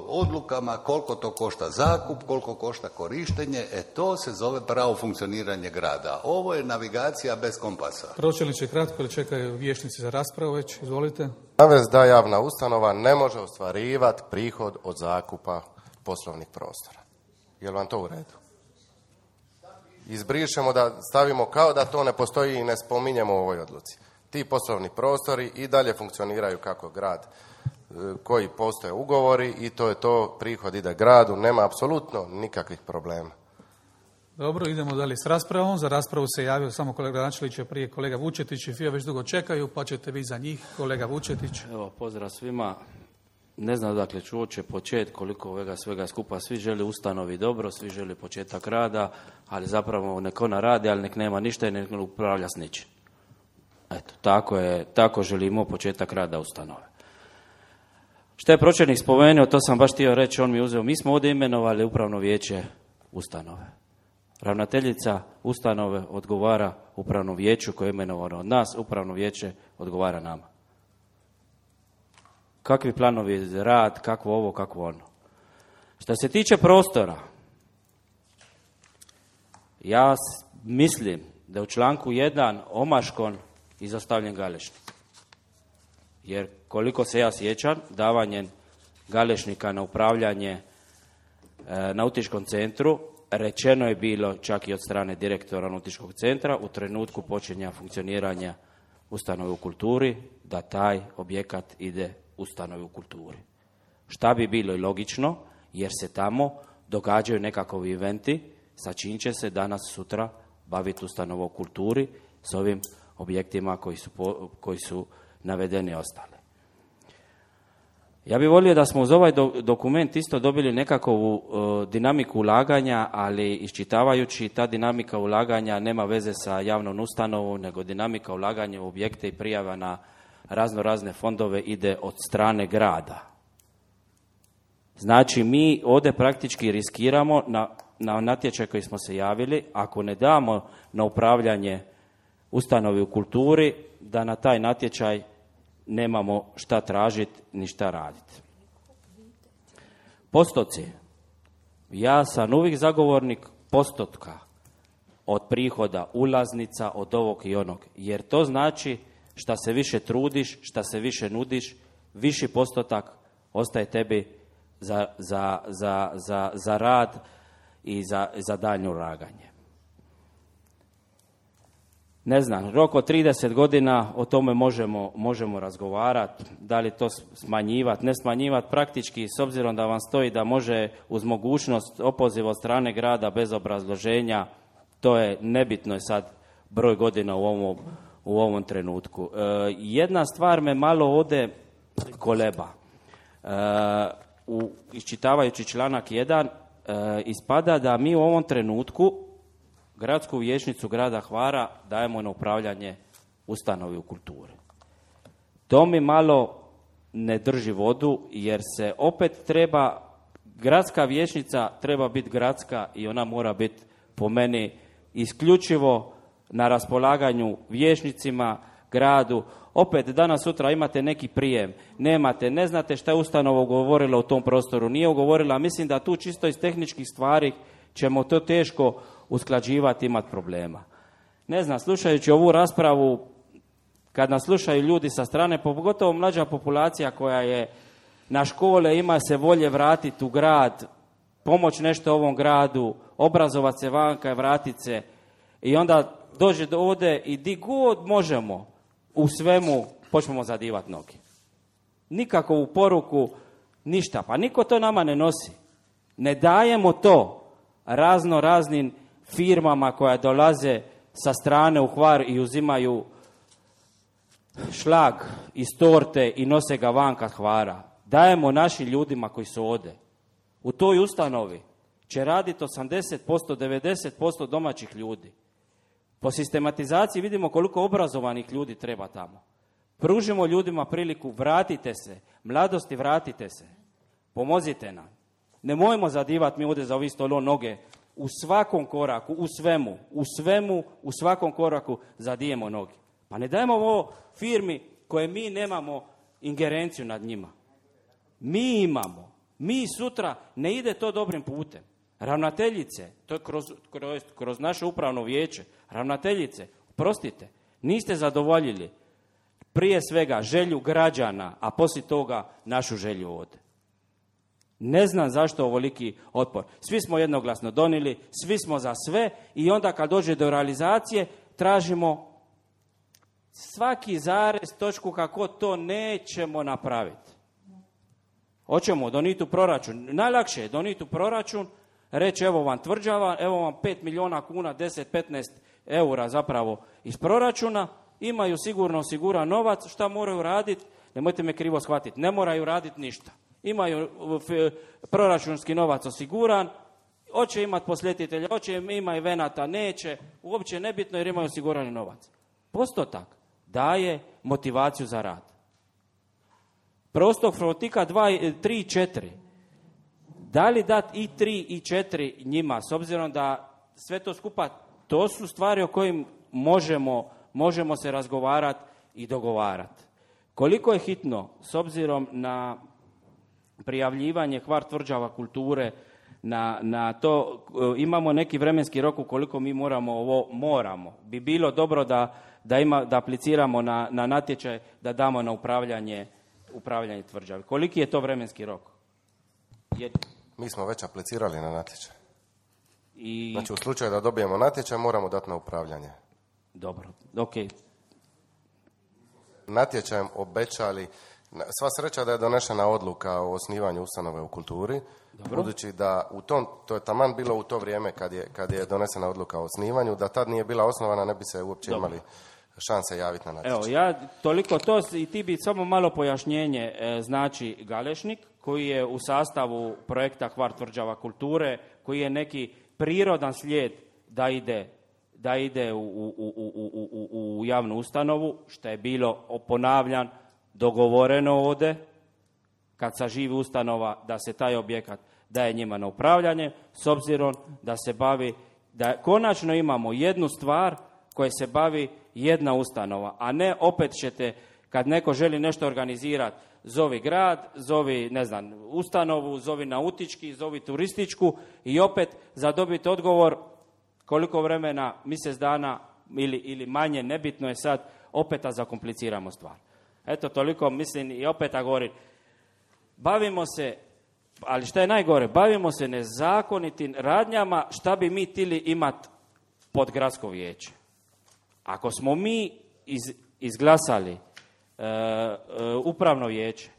odlukama, koliko to košta zakup, koliko košta korištenje, e to se zove pravo funkcioniranje grada. Ovo je navigacija bez kompasa. Pročelniče, kratko, ili čekaju vijećnici za raspravu već, izvolite. Navest da javna ustanova ne može ostvarivati prihod od zakupa poslovnih prostora. Je li vam to u redu? Izbrišemo da stavimo kao da to ne postoji i ne spominjemo u ovoj odluci. Ti poslovni prostori i dalje funkcioniraju kako grad, koji postoje ugovori i to je to, prihod ide gradu, nema apsolutno nikakvih problema. Dobro, idemo dalje s raspravom. Za raspravu se javio samo kolega Načelić, prije kolega Vučetić i Fio već dugo čekaju, pa ćete vi za njih, kolega Vučetić. Evo, pozdrav svima. Ne znam dakle ću uopće početi koliko ovega svega skupa. Svi žele ustanovi dobro, svi žele početak rada, ali zapravo nek ona radi, ali nek nema ništa i nek ne upravlja s ničim. Eto, tako je, tako želimo početak rada ustanove. Što je pročelnik spomenuo, to sam baš htio reći, on mi uzeo. Mi smo ovdje imenovali upravno vijeće ustanove. Ravnateljica ustanove odgovara upravnom vijeću koje je imenovano od nas, upravno vijeće odgovara nama. Kakvi planovi za rad, kakvo ovo, kakvo ono. Što se tiče prostora, ja mislim da je u članku jedan omaškon izostavljen Galešnik. Jer koliko se ja sjećam, davanjem Galešnika na upravljanje e, nautičkom centru, rečeno je bilo čak i od strane direktora nautičkog centra u trenutku počinja funkcioniranja ustanove u kulturi, da taj objekat ide ustanovi u kulturi. Šta bi bilo i logično, jer se tamo događaju nekakvi eventi, sa čim će se danas sutra baviti ustanova u kulturi s ovim objektima koji su, po, koji su navedeni i ostali. Ja bih volio da smo uz ovaj do, dokument isto dobili nekakvu uh, dinamiku ulaganja, ali iščitavajući ta dinamika ulaganja nema veze sa javnom ustanovom, nego dinamika ulaganja u objekte i prijava na razno razne fondove ide od strane grada. Znači mi ovdje praktički riskiramo na, na natječaj koji smo se javili, ako ne damo na upravljanje ustanovi u kulturi, da na taj natječaj nemamo šta tražiti ni šta raditi. Postoci. Ja sam uvijek zagovornik postotka od prihoda, ulaznica, od ovog i onog. Jer to znači šta se više trudiš, šta se više nudiš, viši postotak ostaje tebi za, za, za, za, za rad i za, za daljnje ulaganje. Ne znam, rok od trideset godina, o tome možemo, možemo razgovarati, da li to smanjivati, ne smanjivati, praktički s obzirom da vam stoji da može uz mogućnost opoziva od strane grada bez obrazloženja, to je nebitno je sad broj godina u ovom, u ovom trenutku. E, jedna stvar me malo ode koleba. E, u, iščitavajući članak jedan, e, ispada da mi u ovom trenutku gradsku vijećnicu grada Hvara dajemo na upravljanje ustanovi u kulturi. To mi malo ne drži vodu, jer se opet treba, gradska vijećnica treba biti gradska i ona mora biti po meni isključivo na raspolaganju vijećnicima, gradu. Opet danas sutra imate neki prijem, nemate, ne znate šta je ustanova ugovorila u tom prostoru, nije ugovorila, mislim da tu čisto iz tehničkih stvari ćemo to teško usklađivati, imati problema. Ne znam, slušajući ovu raspravu, kad nas slušaju ljudi sa strane, pogotovo mlađa populacija koja je na škole, ima se volje vratiti u grad, pomoć nešto ovom gradu, obrazovati se vanka i vratiti se, i onda dođe do ovdje i di god možemo u svemu počnemo zadivati noge. Nikakovu poruku, ništa. Pa niko to nama ne nosi. Ne dajemo to razno raznim firmama koja dolaze sa strane u Hvar i uzimaju šlag iz torte i nose ga vanka Hvara. Dajemo našim ljudima koji su ovdje. U toj ustanovi će raditi osamdeset posto, devedeset posto domaćih ljudi. Po sistematizaciji vidimo koliko obrazovanih ljudi treba tamo. Pružimo ljudima priliku, vratite se, mladosti vratite se, pomozite nam. Nemojmo zadivati mi ovdje za ovih stolo noge, u svakom koraku, u svemu, u svemu, u svakom koraku zadijemo noge. Pa ne dajemo ovo firmi koje mi nemamo ingerenciju nad njima. Mi imamo, mi sutra ne ide to dobrim putem. Ravnateljice, to je kroz, kroz, kroz naše upravno vijeće, ravnateljice, prostite, niste zadovoljili prije svega želju građana, a poslije toga našu želju ovdje. Ne znam zašto ovoliki otpor. Svi smo jednoglasno donijeli, svi smo za sve i onda kad dođe do realizacije tražimo svaki zarez, točku kako to nećemo napraviti. Hoćemo donijeti u proračun. Najlakše je donijeti u proračun, reći evo vam tvrđava, evo vam pet milijuna kuna, deset do petnaest eura zapravo iz proračuna, imaju sigurno osiguran novac, šta moraju raditi, nemojte me krivo shvatiti, ne moraju raditi ništa. Imaju proračunski novac osiguran, hoće imati posjetitelja, hoće ima evenata, neće, uopće nebitno jer imaju osigurani novac. Postotak daje motivaciju za rad. Prostor frotika dva, tri i četiri. Da li dati i tri i četiri njima, s obzirom da sve to skupa, to su stvari o kojim možemo, možemo se razgovarati i dogovarati. Koliko je hitno, s obzirom na prijavljivanje Hvar tvrđava kulture, na, na to, imamo neki vremenski rok u koliko mi moramo ovo, moramo. Bi bilo dobro da, da, ima, da apliciramo na, na natječaj, da damo na upravljanje, upravljanje tvrđave. Koliki je to vremenski rok? Je... Mi smo već aplicirali na natječaj. I... Znači u slučaju da dobijemo natječaj moramo dati na upravljanje. Dobro, ok. Natječajem obećali, sva sreća da je donešena odluka o osnivanju ustanove u kulturi, dobro. Budući da u tom, to je taman bilo u to vrijeme kad je, kad je donesena odluka o osnivanju, da tad nije bila osnovana ne bi se uopće dobro. Imali šanse javiti na natječaj. Evo, ja toliko to i ti bi samo malo pojašnjenje, e, znači Galešnik, koji je u sastavu projekta Hvar tvrđava kulture, koji je neki prirodan slijed da ide, da ide u, u, u, u, u, u javnu ustanovu, što je bilo, ponavljan, dogovoreno ovdje, kad saživi ustanova, da se taj objekat daje njima na upravljanje, s obzirom da se bavi, da konačno imamo jednu stvar koja se bavi jedna ustanova, a ne opet ćete, kad neko želi nešto organizirati, zovi grad, zovi, ne znam, ustanovu, zovi nautički, zovi turističku i opet za dobiti odgovor koliko vremena, mjesec dana ili, ili manje, nebitno je sad, opet zakompliciramo stvar. Eto, toliko mislim i opet ja govorim, bavimo se, ali što je najgore, bavimo se nezakonitim radnjama, šta bi mi tili imati pod gradsko vijeće. Ako smo mi iz, izglasali e, e, upravno vijeće,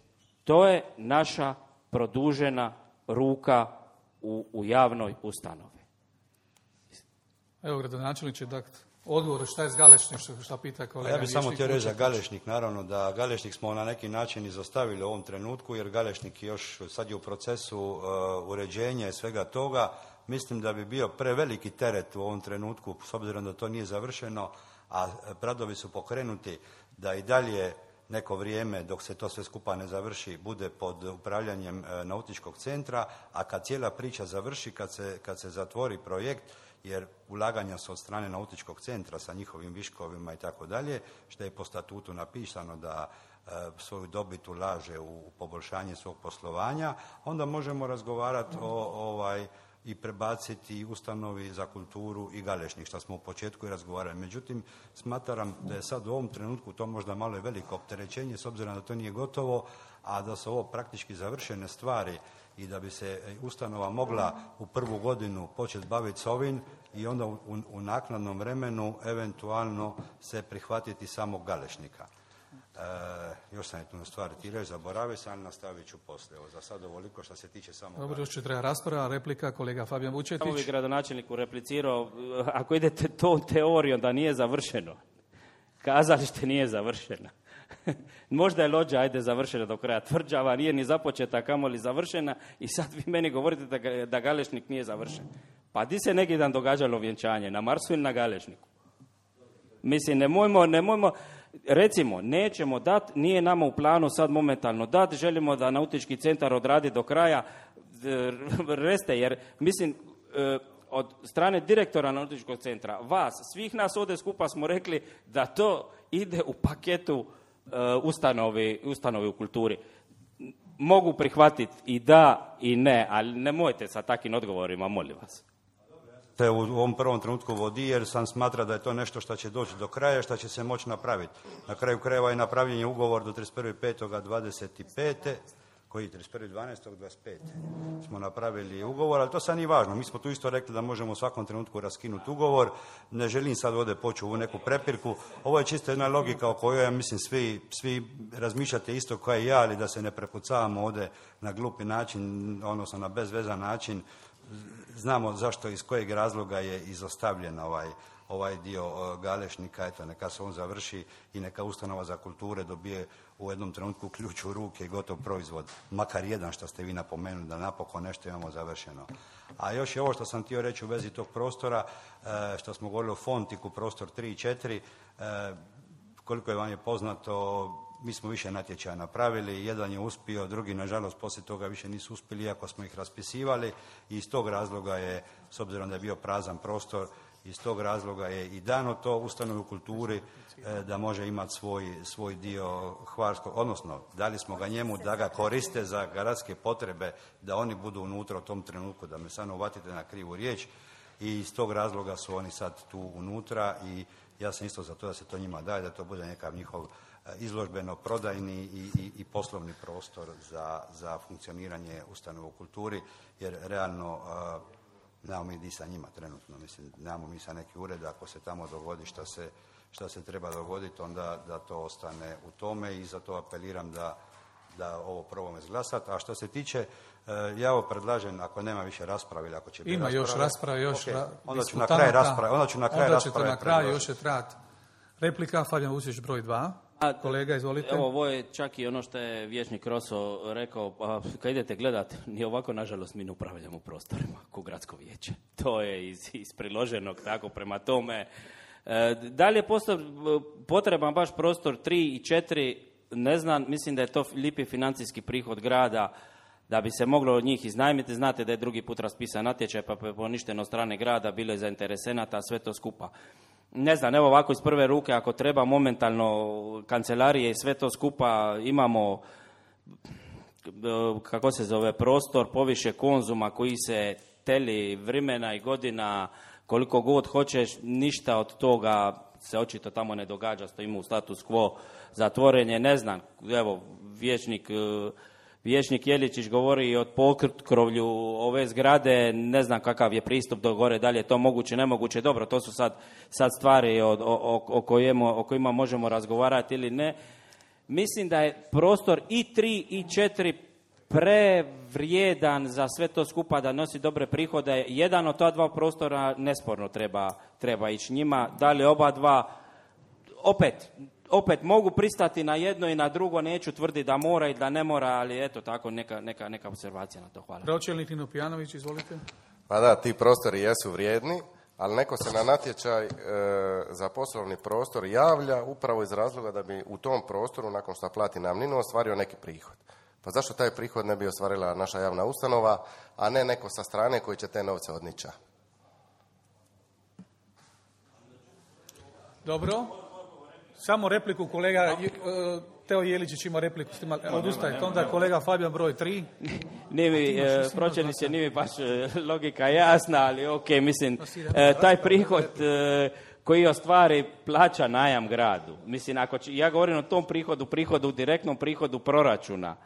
to je naša produžena ruka u, u javnoj ustanovi. Evo, gradonačelniče, dakle, odgovor šta je s Galešnik, što, šta pita kolega. Ja bih samo htio reći za Galešnik, naravno da Galešnik smo na neki način izostavili u ovom trenutku, jer Galešnik još sad je u procesu uh, uređenja i svega toga. Mislim da bi bio preveliki teret u ovom trenutku, s obzirom da to nije završeno, a radovi su pokrenuti, da i dalje neko vrijeme, dok se to sve skupa ne završi, bude pod upravljanjem e, nautičkog centra, a kad cijela priča završi, kad se, kad se zatvori projekt, jer ulaganja su od strane nautičkog centra sa njihovim viškovima i tako dalje, što je po statutu napisano da e, svoju dobit ulaže u, u poboljšanje svog poslovanja, onda možemo razgovarati o ovaj i prebaciti ustanovi za kulturu i Galešnik, što smo u početku i razgovarali. Međutim, smatram da je sad u ovom trenutku to možda malo i veliko opterećenje, s obzirom da to nije gotovo, a da su ovo praktički završene stvari i da bi se ustanova mogla u prvu godinu početi baviti s ovim i onda u, u naknadnom vremenu eventualno se prihvatiti samog Galešnika. E, još sam je tu na stvari ti reći, zaboravio sam, ali nastavit ću poslije. Evo, za sad ovoliko što se tiče samo... Dobro, još će treba rasprava, replika, kolega Fabijan Vučetić. Samo bi gradonačelniku replicirao, ako idete tom teorijom da nije završeno, kazalište nije završeno. Možda je lođa, ajde, završena do kraja tvrđava, nije ni započeta, kamoli završena, i sad vi meni govorite da, da Galešnik nije završen. Pa di se neki dan događalo vjenčanje, na Marsu ili na Galešniku? Mislim, nemojmo, nemojmo, recimo, nećemo dati, nije nama u planu sad momentalno dati, želimo da nautički centar odradi do kraja, reste, jer, mislim, od strane direktora nautičkog centra, vas, svih nas ovdje skupa smo rekli da to ide u paketu ustanovi, ustanovi u kulturi. Mogu prihvatiti i da i ne, ali nemojte sa takvim odgovorima, molim vas. Te u ovom prvom trenutku vodi, jer sam smatra da je to nešto što će doći do kraja, što će se moći napraviti. Na kraju krajeva je napravljen je ugovor do trideset prvog petog dvadeset pete koji trideset prvog dvanaestog dvadeset pete smo napravili ugovor, ali to sad nije važno. Mi smo tu isto rekli da možemo u svakom trenutku raskinuti ugovor. Ne želim sad ovdje poći u neku prepirku. Ovo je čisto jedna logika o kojoj, ja mislim, svi, svi razmišljate isto kao i ja, ali da se ne prepucavamo ovdje na glupi način, odnosno na bezvezan način. Znamo zašto, iz kojeg razloga je izostavljen ovaj, ovaj dio Galešnika. Eto, neka se on završi i neka ustanova za kulture dobije u jednom trenutku ključ u ruke i gotov proizvod. Makar jedan, što ste vi napomenuli, da napokon nešto imamo završeno. A još je ovo što sam htio reći u vezi tog prostora, što smo govorili o Fontiku, prostor tri i četiri, koliko je vam je poznato, mi smo više natječaja napravili, jedan je uspio, drugi nažalost poslije toga više nisu uspjeli, iako smo ih raspisivali, i iz tog razloga je, s obzirom da je bio prazan prostor, iz tog razloga je i dano to ustanovi u kulturi da može imati svoj, svoj dio hvarskog, odnosno dali smo ga njemu da ga koriste za gradske potrebe, da oni budu unutra u tom trenutku, da me sad ne uvatite na krivu riječ, i iz tog razloga su oni sad tu unutra i ja sam isto za to da se to njima daje, da to bude nekav njihov izložbeno prodajni i, i, i poslovni prostor za, za funkcioniranje ustanova u kulturi, jer realno uh, nemamo mi di sa njima trenutno, mislim, nemamo mi sa neki ured, ako se tamo dogodi šta se, šta se treba dogoditi, onda da to ostane u tome, i zato apeliram da, da ovo probamo izglasati. A što se tiče, uh, ja ovo predlažem, ako nema više rasprave ili ako će biti ima rasprave, još rasprave, još okay, ra- onda ću na kraj rasprave, onda ću na kraj onda rasprave na kraju još je trajati. Replika, Fabijan Vučić, broj dva. Kolega, izvolite. Evo, ovo je čak i ono što je vijećnik Roso rekao, pa kad idete gledat, ni ovako, nažalost, mi ne upravljamo prostorima ko gradsko vijeće. To je iz, iz priloženog, tako, prema tome. E, da li je potreban baš prostor tri i četiri, ne znam, mislim da je to lipi financijski prihod grada, da bi se moglo od njih iznajmiti. Znate da je drugi put raspisan natječaj, pa je poništen od strane grada, bilo je zainteresenata, sve to skupa. Ne znam, evo ovako iz prve ruke, ako treba momentalno kancelarije i sve to skupa, imamo, kako se zove, prostor poviše Konzuma koji se teli vremena i godina koliko god hoćeš, ništa od toga se očito tamo ne događa, stojimo u status quo, zatvoren je, ne znam, evo, vječnik, vječnik Jeličić govori o pokrovlju ove zgrade, ne znam kakav je pristup do gore, da li je to moguće, nemoguće, dobro, to su sad, sad stvari o, o, o, kojima, o kojima možemo razgovarati ili ne. Mislim da je prostor i tri i četiri prevrijedan za sve to skupa da nosi dobre prihode. Jedan od ta dva prostora nesporno treba, treba ići njima. Da li oba dva, opet, opet mogu pristati na jedno i na drugo, neću tvrditi da mora i da ne mora, ali eto tako neka, neka, neka observacija na to. Hvala. Pročelnik Nino Pijanović, izvolite. Pa da, ti prostori jesu vrijedni, ali neko se na natječaj e, za poslovni prostor javlja upravo iz razloga da bi u tom prostoru, nakon što plati najamninu, ostvario neki prihod. Pa zašto taj prihod ne bi ostvarila naša javna ustanova, a ne neko sa strane koji će te novce odniča? Dobro. Samo repliku kolega Teo Jeličić ima repliku. Odustajte. Onda kolega Fabijan broj tri. Nije mi, pročelniče, nije mi baš logika jasna, ali ok, mislim, taj prihod koji ostvari plaća najam gradu. Mislim, ako će, ja govorim o tom prihodu, prihodu, direktnom prihodu proračuna.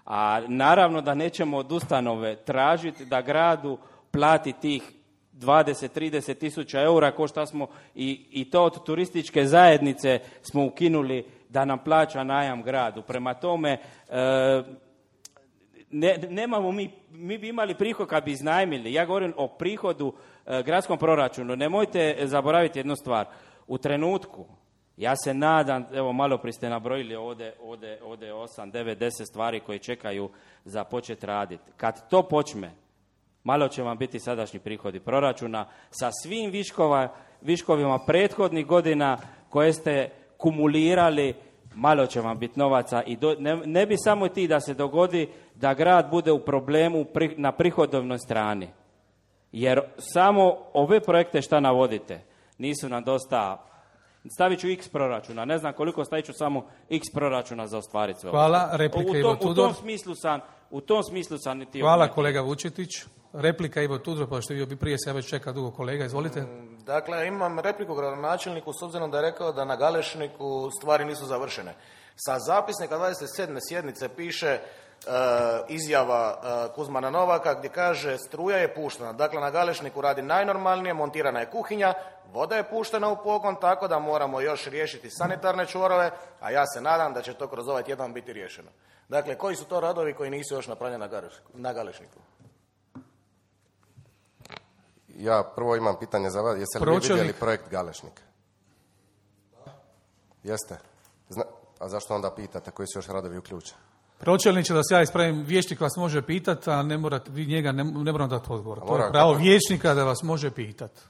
A naravno da nećemo od ustanove tražiti da gradu plati tih dvadeset do trideset tisuća eura, ko šta smo i, i to od turističke zajednice smo ukinuli da nam plaća najam gradu. Prema tome, e, ne, nemamo mi, mi bi imali prihod kad bi iznajmili. Ja govorim o prihodu e, gradskom proračunu. Nemojte zaboraviti jednu stvar. U trenutku, ja se nadam, evo malo prije ste nabrojili ovdje, ovdje, ovdje osam, devet, deset stvari koje čekaju za počet raditi. Kad to počne, malo će vam biti sadašnji prihodi proračuna sa svim viškova, viškovima prethodnih godina koje ste kumulirali, malo će vam biti novaca i do, ne, ne bi samo ti da se dogodi da grad bude u problemu pri, na prihodovnoj strani. Jer samo ove projekte šta navodite nisu nam dosta. Stavit ću x proračuna, ne znam koliko, stavit ću samo x proračuna za ostvariti sve. Hvala, replika Ivo Tudor. U tom smislu sam, u tom smislu sam niti... Hvala obmeti. Kolega Vučetić. Replika Ivo Tudor, pa što je bio prije se, ja već čeka dugo kolega, izvolite. Dakle, imam repliku gradonačelniku s obzirom da je rekao da na Galešniku stvari nisu završene. Sa zapisnika dvadeset sedme sjednice piše uh, izjava uh, Kuzmana Novaka gdje kaže struja je puštena. Dakle, na Galešniku radi najnormalnije, montirana je kuhinja, voda je puštena u pogon, tako da moramo još riješiti sanitarne čvorove, a ja se nadam da će to kroz ovaj tjedan biti riješeno. Dakle, koji su to radovi koji nisu još napravljeni na Galešniku? Ja prvo imam pitanje za vas. Jeste li vi vidjeli projekt Galešnik? Jeste. Zna, a zašto onda pitate koji su još radovi uključeni? Pročelniče, da se ja ispravim, vijećnik vas može pitati, a ne morate, vi njega ne, ne moram dati odgovor. To je pravo vijećnika da vas može pitati.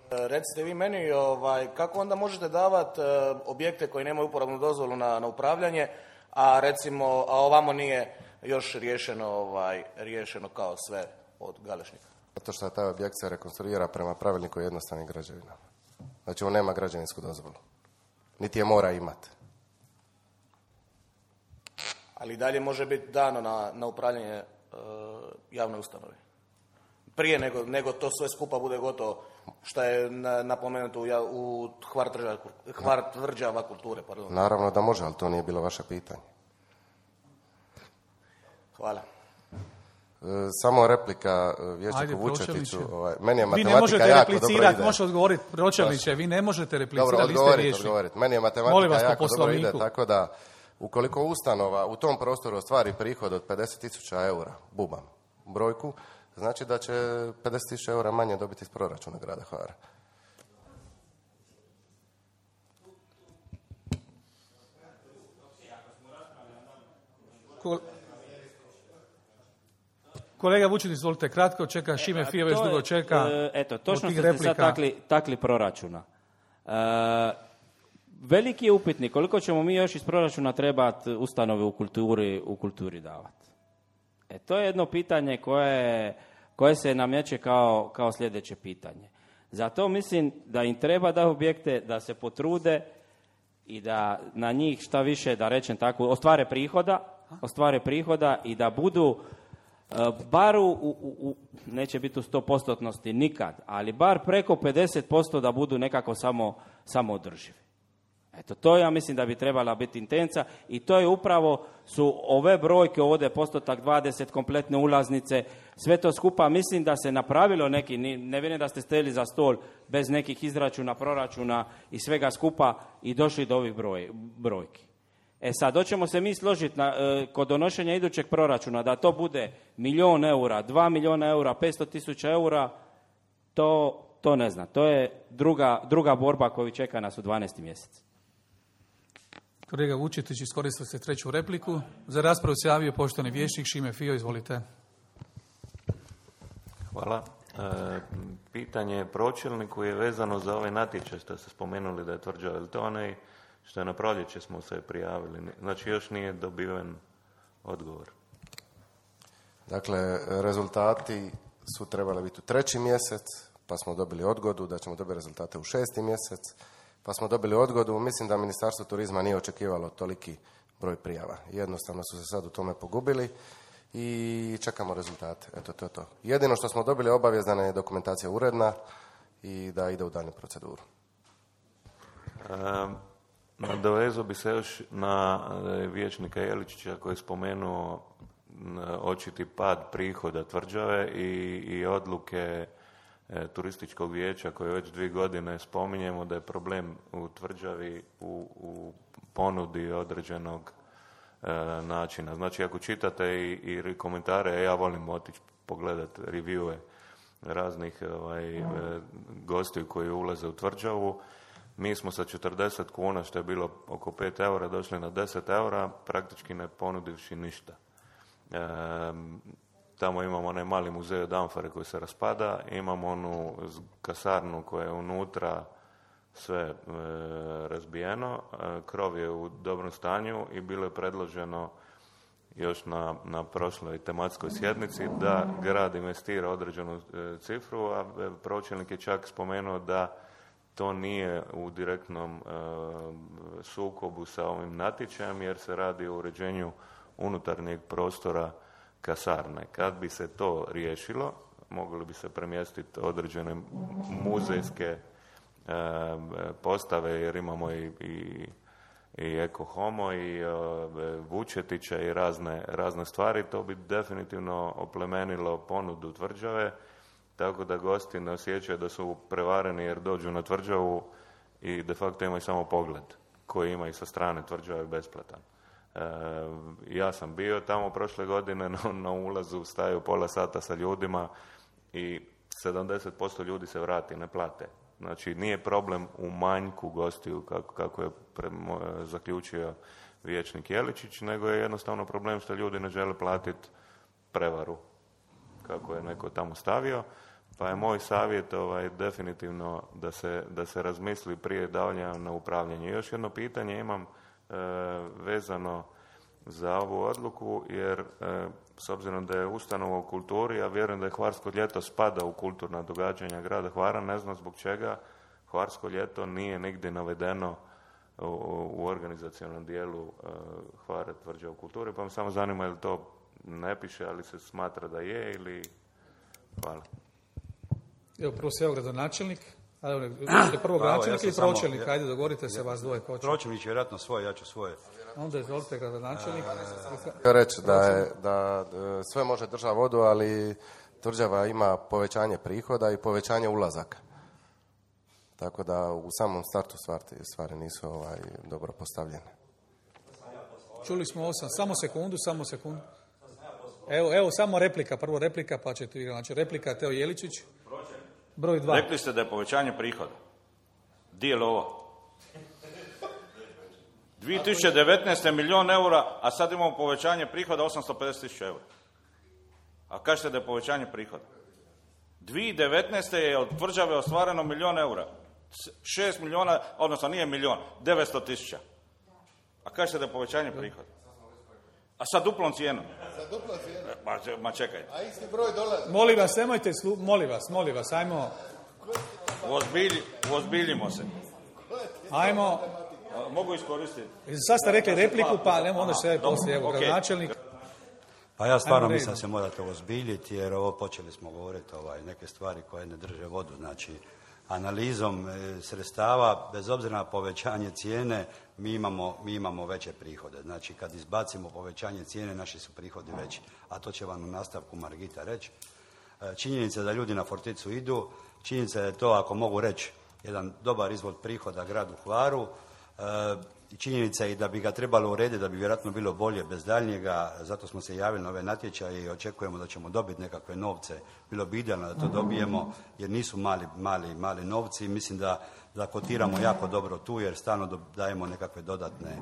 Recite vi meni, ovaj, kako onda možete davati uh, objekte koji nemaju uporabnu dozvolu na, na upravljanje, a recimo, a ovamo nije još riješeno, ovaj, riješeno kao sve od Galešnika? Zato što taj objekt se rekonstruira prema pravilniku o jednostavnim građevinama. Znači on nema građevinsku dozvolu. Niti je mora imati. Ali dalje može biti dano na, na upravljanje uh, javne ustanove. Prije nego, nego to sve skupa bude gotovo, što je na, napomenuto u, u Hvar tvrđava kulture. Pardon. Naravno da može, ali to nije bilo vaše pitanje. Hvala. E, samo replika vijećniku Vučetiću. Ovaj, meni je vi matematika ne možete jako replicirati, možete odgovoriti. Pročelniče, vi ne možete replicirati. Dobro, odgovoriti, odgovoriti. Meni je matematika jako dobro ide, tako da ukoliko ustanova u tom prostoru ostvari prihod od pedeset tisuća eura, bubam brojku, znači da će pedeset tisuća eura manje dobiti iz proračuna grada Hvara. Kolega Vučetić, izvolite kratko, čeka Šime Fija, već dugo čeka. Eto, točno ste sad takli, takli proračuna. E, veliki je upitnik koliko ćemo mi još iz proračuna trebati ustanove u kulturi, u kulturi davati. E, to je jedno pitanje koje, koje se nameće kao, kao sljedeće pitanje. Zato mislim da im treba da objekte, da se potrude i da na njih šta više, da rečem tako, ostvare prihoda, ostvare prihoda i da budu bar u, u, u, neće biti u sto postotnosti nikad, ali bar preko pedeset posto da budu nekako samo, samo održivi. Eto, to ja mislim da bi trebala biti intenca i to je upravo su ove brojke ovdje, postotak dvadeset, kompletne ulaznice, sve to skupa, mislim da se napravilo neki, ne vidim da ste stajali za stol bez nekih izračuna, proračuna i svega skupa i došli do ovih broj, brojki. E sad, hoćemo se mi složiti na, e, kod donošenja idućeg proračuna da to bude milijon eura, dva milijuna eura, petsto tisuća eura, to, to ne znam. To je druga, druga borba koju čeka nas u dvanaestom mjesecu. Kolega Vučetić, iskoristili ste treću repliku. Za raspravu se javio poštovani vijećnik Šime Fio, izvolite. Hvala. E, pitanje pročelniku je vezano za ovaj natječaj što ste spomenuli da je Tvrđava, ili to onaj što je na proljeće smo se prijavili. Znači još nije dobiven odgovor. Dakle, rezultati su trebali biti u treći mjesec, pa smo dobili odgodu da ćemo dobiti rezultate u šesti mjesec, pa smo dobili odgodu. Mislim da Ministarstvo turizma nije očekivalo toliki broj prijava. Jednostavno su se sad u tome pogubili i čekamo rezultate. Eto, to je to. Jedino što smo dobili obavijest da nam je dokumentacija uredna i da ide u daljnju proceduru. Um. Nadovezao bi se još na vijećnika Jeličića koji je spomenuo očiti pad prihoda Tvrđave i, i odluke e, turističkog vijeća koje već dvije godine spominjemo da je problem u Tvrđavi u, u ponudi određenog e, načina. Znači ako čitate i, i komentare, ja volim otići pogledati reviewe raznih ovaj, e, gostiju koji ulaze u Tvrđavu. Mi smo sa četrdeset kuna, što je bilo oko pet eura, došli na deset eura, praktički ne ponudivši ništa. E, tamo imamo onaj mali muzej od Amfore koji se raspada, imamo onu kasarnu koja je unutra sve e, razbijeno, e, krov je u dobrom stanju i bilo je predloženo još na, na prošloj tematskoj sjednici da grad investira određenu e, cifru, a pročelnik je čak spomenuo da to nije u direktnom e, sukobu sa ovim natječajem jer se radi o uređenju unutarnjeg prostora kasarne. Kad bi se to riješilo, mogli bi se premjestiti određene muzejske e, postave jer imamo i, i, i Eko Homo i e, Vučetića i razne, razne stvari. To bi definitivno oplemenilo ponudu Tvrđave. Tako da gosti ne osjećaju da su prevareni jer dođu na Tvrđavu i de facto imaju samo pogled koji imaju sa strane Tvrđave besplatan. E, ja sam bio tamo prošle godine, na, na ulazu staju pola sata sa ljudima i sedamdeset posto ljudi se vrati, ne plate. Znači nije problem u manjku gostiju kako, kako je pre, zaključio vijećnik Jeličić, nego je jednostavno problem što ljudi ne žele platiti prevaru kako je neko tamo stavio, pa je moj savjet ovaj, definitivno da se, da se razmisli prije davanja na upravljanje. Još jedno pitanje imam e, vezano za ovu odluku, jer e, s obzirom da je ustanova u kulturi, ja vjerujem da je Hvarsko ljeto spada u kulturna događanja grada Hvara, ne znam zbog čega Hvarsko ljeto nije nigdje navedeno u, u organizacionalnom dijelu e, Hvara Tvrđava u kulturi, pa me samo zanima je li to ne piše, ali se smatra da je ili... Hvala. Evo, prvo se evo gradonačelnik. Ste prvo gradonačelnik ili pročelnik? Samo, Ajde, dogovorite se vas dvoje. Pročelnik će vjerojatno svoje, ja ću svoje. Onda izvolite gradonačelnik. Htio reći da, je, da sve može država vodu, ali Tvrđava ima povećanje prihoda i povećanje ulazaka. Tako da u samom startu stvari, stvari nisu ovaj, dobro postavljene. Čuli smo osam. Samo sekundu, samo sekundu. Evo, evo, samo replika. Prvo replika, pa ćete vi. Znači, replika Teo Jeličić. Broj dva. Rekli ste da je povećanje prihoda. Di je ovo? dvije tisuće devetnaeste. milijun eura, a sad imamo povećanje prihoda osamsto pedeset tisuća eura. A kažete da je povećanje prihoda. dvije tisuće devetnaeste. je od Tvrđave ostvareno milijun eura. šest milijuna, odnosno nije milijun, devetsto tisuća. A kažete da je povećanje prihoda. A sa duplom cijenom. Sa duplom cijenom. Ma, ma čekajte. A isti broj dolazi. Molim vas, nemojte, slu... molim vas, molim vas, ajmo. Uozbilji, uozbiljimo se. Ajmo. Mogu iskoristiti. Sad ste rekli repliku, pa nemo onda se poslije, evo, okay. gradonačelnik. Pa ja stvarno Ajmo mislim da redom. se morate ozbiljiti, jer ovo počeli smo govoriti ovaj, neke stvari koje ne drže vodu. Znači, analizom e, sredstava, bez obzira na povećanje cijene, mi imamo, mi imamo veće prihode. Znači, kad izbacimo povećanje cijene, naši su prihodi veći. A to će vam u nastavku Margita reći. E, činjenica je da ljudi na Forticu idu, činjenica je to, ako mogu reći, jedan dobar izvod prihoda gradu Hvaru. E, činjenica je i da bi ga trebalo urediti, da bi vjerojatno bilo bolje bez daljnjega, zato smo se javili na ove natječaje i očekujemo da ćemo dobiti nekakve novce. Bilo bi idealno da to dobijemo, jer nisu mali, mali, mali novci. Mislim da, da kotiramo jako dobro tu, jer stalno dajemo nekakve dodatne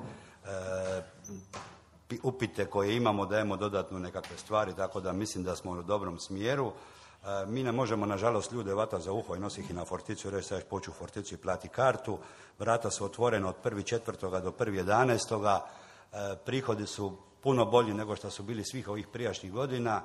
e, upite koje imamo, dajemo dodatno nekakve stvari, tako da mislim da smo u dobrom smjeru. E, mi ne možemo, nažalost, ljude vata za uho i nosi ih na Forticu i reći sad poću u Forticu i plati kartu. Vrata su otvorena od prvog četvrtoga do prvog jedanaestoga. E, prihodi su puno bolji nego što su bili svih ovih prijašnjih godina,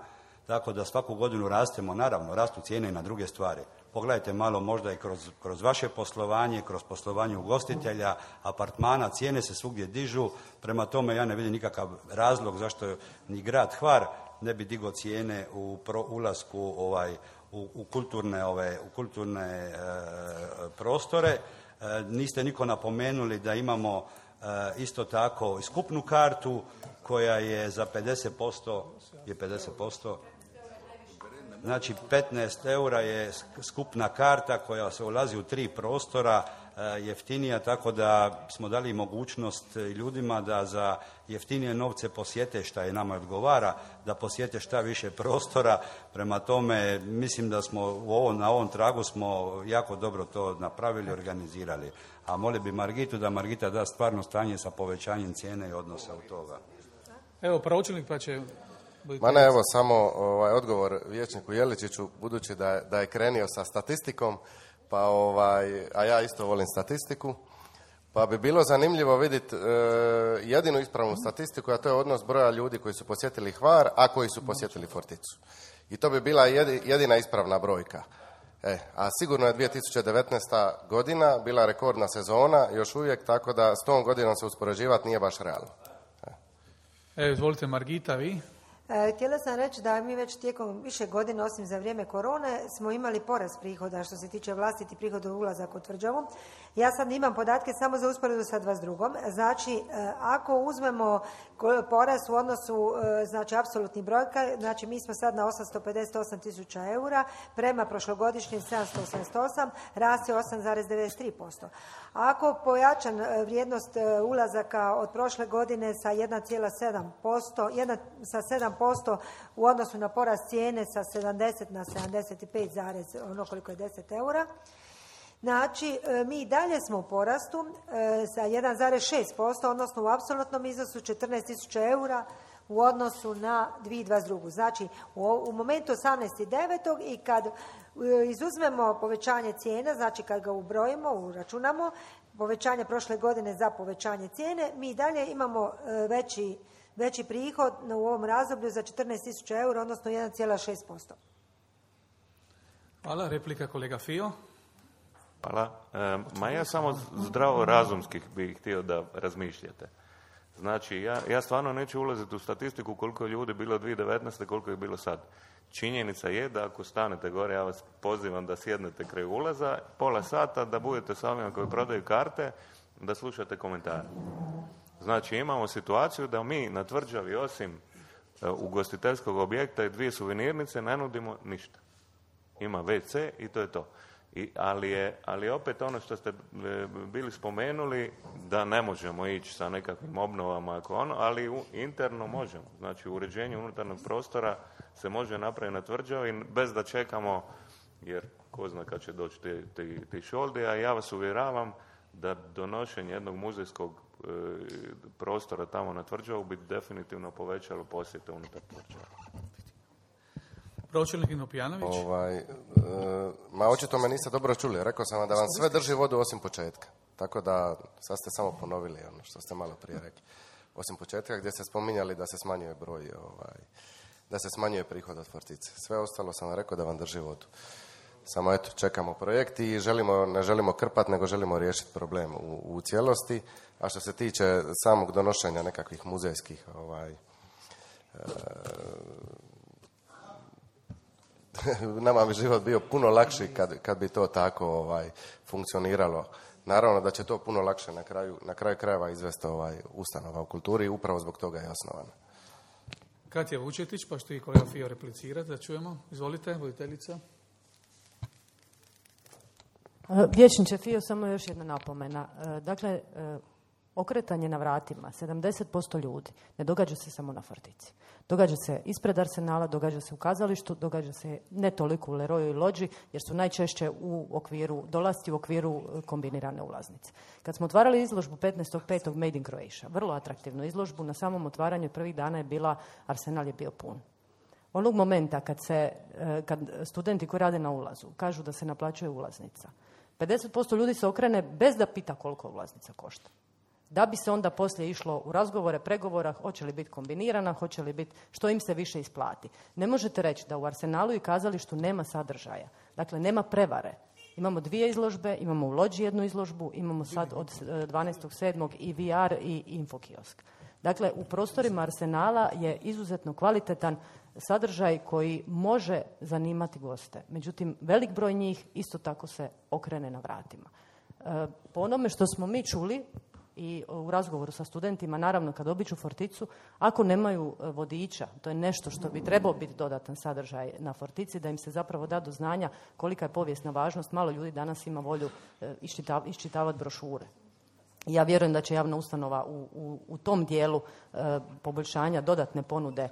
tako da svaku godinu rastemo, naravno, rastu cijene i na druge stvari. Pogledajte malo možda i kroz, kroz vaše poslovanje, kroz poslovanje ugostitelja, apartmana, cijene se svugdje dižu, prema tome ja ne vidim nikakav razlog zašto ni grad Hvar ne bi digao cijene u pro, ulasku ovaj, u, u kulturne, ove, u kulturne e, prostore. E, niste niko napomenuli da imamo e, isto tako i skupnu kartu koja je za pedeset posto, je pedeset posto, znači petnaest eura je skupna karta koja se ulazi u tri prostora, e, jeftinija, tako da smo dali mogućnost ljudima da za jeftinije novce posjete šta je nama odgovara, da posjete šta više prostora. Prema tome, mislim da smo u ovom, na ovom tragu smo jako dobro to napravili, organizirali. A moli bi Margitu da Margita da stvarno stanje sa povećanjem cijene i odnosa u toga. Evo, pročelnik pa će... Ma ne, evo samo ovaj, odgovor vijećniku Jeličiću, budući da je, da je krenio sa statistikom, pa ovaj, a ja isto volim statistiku, pa bi bilo zanimljivo vidjeti e, jedinu ispravnu statistiku, a to je odnos broja ljudi koji su posjetili Hvar, a koji su posjetili Forticu. I to bi bila jedina ispravna brojka. E, a sigurno je dvije tisuće devetnaesta godina bila rekordna sezona, još uvijek, tako da s tom godinom se uspoređivati nije baš realno. E. Evo, izvolite Margita, vi. E, htjela sam reći da mi već tijekom više godina, osim za vrijeme korone, smo imali porast prihoda što se tiče vlastiti prihoda u ulazak u tvrđavu. Ja sad imam podatke samo za usporedu sa dvadeset drugom. Znači, e, ako uzmemo porast u odnosu, e, znači, apsolutni brojka, znači, mi smo sad na osamsto pedeset osam tisuća eura, prema prošlogodišnjim sedamsto osamdeset osam, rast je osam zarez devedeset tri posto. Ako pojačan vrijednost ulazaka od prošle godine sa jedan zarez sedam posto, sa sedam posto u odnosu na porast cijene sa sedamdeset na sedamdeset pet zarez ono koliko je deset eura. Znači, mi i dalje smo u porastu sa jedan zarez šest posto, odnosno u apsolutnom iznosu četrnaest tisuća eura u odnosu na dvije tisuće dvadeset drugu. Znači, u, u momentu osamnaesti devetog i kad izuzmemo povećanje cijena, znači kad ga ubrojimo, uračunamo, povećanje prošle godine za povećanje cijene, mi i dalje imamo veći, veći prihod u ovom razdoblju za četrnaest tisuća eura, odnosno jedan zarez šest posto. Hvala. Replika kolega Fio. Hvala. E, ma ja samo zdravo razumskih bih htio da razmišljate. Znači, ja, ja stvarno neću ulaziti u statistiku koliko je ljudi bilo dvije tisuće devetnaeste. koliko je bilo sad. Činjenica je da ako stanete gore, ja vas pozivam da sjednete kraj ulaza, pola sata, da budete s ovima koji prodaju karte, da slušate komentare. Znači, imamo situaciju da mi na tvrđavi, osim uh, ugostiteljskog objekta i dvije suvenirnice, ne nudimo ništa. Ima ve ce i to je to. I, ali, je, ali opet ono što ste e, bili spomenuli, da ne možemo ići sa nekakvim obnovama, ako ono, ali u, interno možemo. Znači, uređenje unutarnjeg prostora se može napraviti na tvrđavi bez da čekamo, jer ko zna kad će doći ti, ti, ti šoldi, a ja vas uvjeravam da donošenje jednog muzejskog e, prostora tamo na tvrđavu bi definitivno povećalo posjete unutar tvrđava. Pročelnik Inopijanović. Ovaj, e, ma očito me niste dobro čuli. Rekao sam vam da vam sve drži vodu osim početka. Tako da sad ste samo ponovili ono što ste malo prije rekli. Osim početka gdje ste spominjali da se smanjuje broj, ovaj, da se smanjuje prihod od Fortice. Sve ostalo sam vam rekao da vam drži vodu. Samo eto, čekamo projekt i želimo, ne želimo krpati, nego želimo riješiti problem u, u cijelosti. A što se tiče samog donošenja nekakvih muzejskih ovaj, nama bi život bio puno lakši kad, kad bi to tako ovaj, funkcioniralo. Naravno da će to puno lakše na kraju, na kraju krajeva izvesti ovaj, ustanova u kulturi i upravo zbog toga je osnovana. Katja Vučetić, pa što i kolega Fio replicirati, da čujemo. Izvolite, voditeljica. Vijećniče Fio, samo još jedna napomena. Dakle, okretanje na vratima, sedamdeset posto ljudi, ne događa se samo na Fortici. Događa se ispred Arsenala, događa se u kazalištu, događa se ne toliko u Leroyu i Lođi, jer su najčešće u okviru, dolasci u okviru kombinirane ulaznice. Kad smo otvarali izložbu petnaestog petog Made in Croatia, vrlo atraktivnu izložbu, na samom otvaranju prvih dana je bila, Arsenal je bio pun. Onog momenta kad, se, kad studenti koji rade na ulazu kažu da se naplaćuje ulaznica, pedeset posto ljudi se okrene bez da pita koliko ulaznica košta. Da bi se onda poslije išlo u razgovore, pregovora, hoće li biti kombinirana, hoće li biti što im se više isplati. Ne možete reći da u Arsenalu i kazalištu nema sadržaja. Dakle, nema prevare. Imamo dvije izložbe, imamo u Lođi jednu izložbu, imamo sad od dvanaestog sedmog i V R i infokiosk. Dakle, u prostorima Arsenala je izuzetno kvalitetan sadržaj koji može zanimati goste. Međutim, velik broj njih isto tako se okrene na vratima. E, po onome što smo mi čuli i u razgovoru sa studentima, naravno kad obiđu Forticu, ako nemaju vodiča, to je nešto što bi trebao biti dodatan sadržaj na Fortici, da im se zapravo da do znanja kolika je povijesna važnost. Malo ljudi danas ima volju iščitav, iščitavati brošure. Ja vjerujem da će javna ustanova u, u, u tom dijelu e, poboljšanja dodatne ponude e,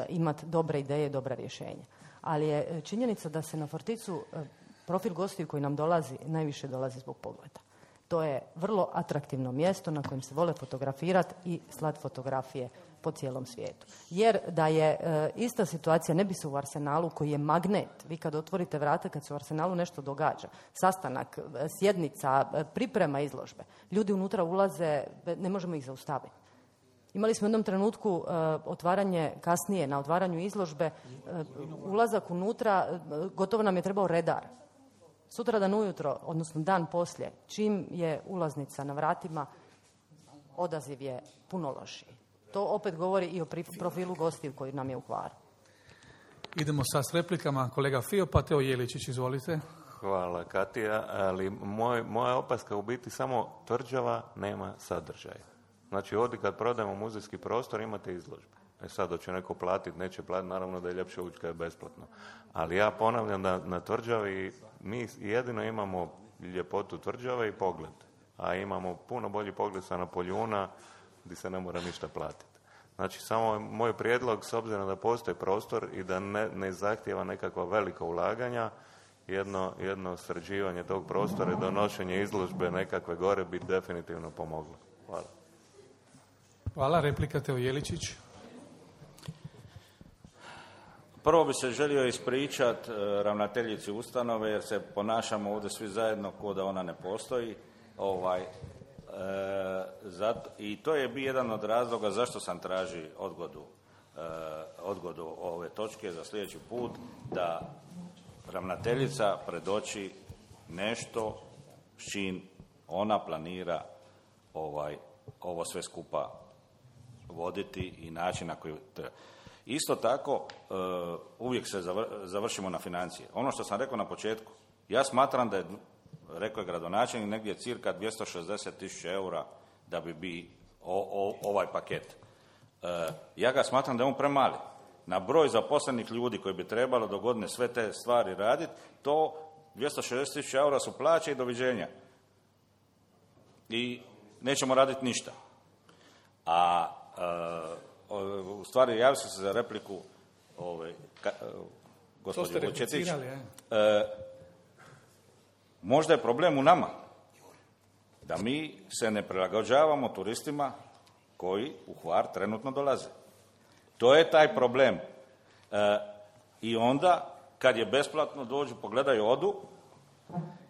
imati dobre ideje i dobra rješenja. Ali je činjenica da se na Forticu e, profil gostiju koji nam dolazi najviše dolazi zbog pogleda. To je vrlo atraktivno mjesto na kojem se vole fotografirati i slati fotografije po cijelom svijetu. Jer da je e, ista situacija, ne bi se u Arsenalu koji je magnet, vi kad otvorite vrata, kad se u Arsenalu nešto događa, sastanak, sjednica, priprema izložbe, ljudi unutra ulaze, ne možemo ih zaustaviti. Imali smo u jednom trenutku e, otvaranje, kasnije na otvaranju izložbe, e, ulazak unutra, e, gotovo nam je trebao redar. Sutra dan ujutro, odnosno dan poslije, čim je ulaznica na vratima, odaziv je puno lošiji. To opet govori i o profilu gostiju koji nam je u Hvaru. Idemo sad s replikama. Kolega Fio, pa Teo Jeličić, izvolite. Hvala, Katija. Ali moj, moja opaska u biti samo tvrđava nema sadržaja. Znači, ovdje kad prodajemo muzejski prostor, imate izložbe. E sad, hoće neko platiti, neće platiti, naravno da je ljepše ući kad je besplatno. Ali ja ponavljam da na tvrđavi mi jedino imamo ljepotu tvrđave i pogled. A imamo puno bolji pogled sa Napoljuna gdje se ne mora ništa platiti. Znači, samo moj prijedlog, s obzirom da postoji prostor i da ne, ne zahtijeva nekakva velika ulaganja, jedno, jedno sređivanje tog prostora i donošenje izložbe nekakve gore bi definitivno pomoglo. Hvala. Hvala. Replika Teo Jeličić. Prvo bi se želio ispričati e, ravnateljici ustanove, jer se ponašamo ovdje svi zajedno kao da ona ne postoji. Ovaj, e, zato, I to je bio jedan od razloga zašto sam traži odgodu, e, odgodu ove točke za sljedeći put, da ravnateljica predoči nešto s čim ona planira ovaj, ovo sve skupa voditi i način na koji treba. Isto tako, uh, uvijek se zavr, završimo na financije. Ono što sam rekao na početku, ja smatram da je, rekao je gradonačelnik, negdje cirka dvjesto šezdeset tisuća eura da bi bi o, o, ovaj paket. Uh, ja ga smatram da je on premali. Na broj zaposlenih ljudi koji bi trebalo do godine sve te stvari raditi, to dvjesto šezdeset tisuća eura su plaće i doviđenja. I nećemo raditi ništa. A uh, u stvari, javio sam se za repliku ove, ka, gospođe Vučetić. E, možda je problem u nama da mi se ne prilagođavamo turistima koji u Hvar trenutno dolaze. To je taj problem. E, I onda, kad je besplatno, dođu, pogledaju, odu.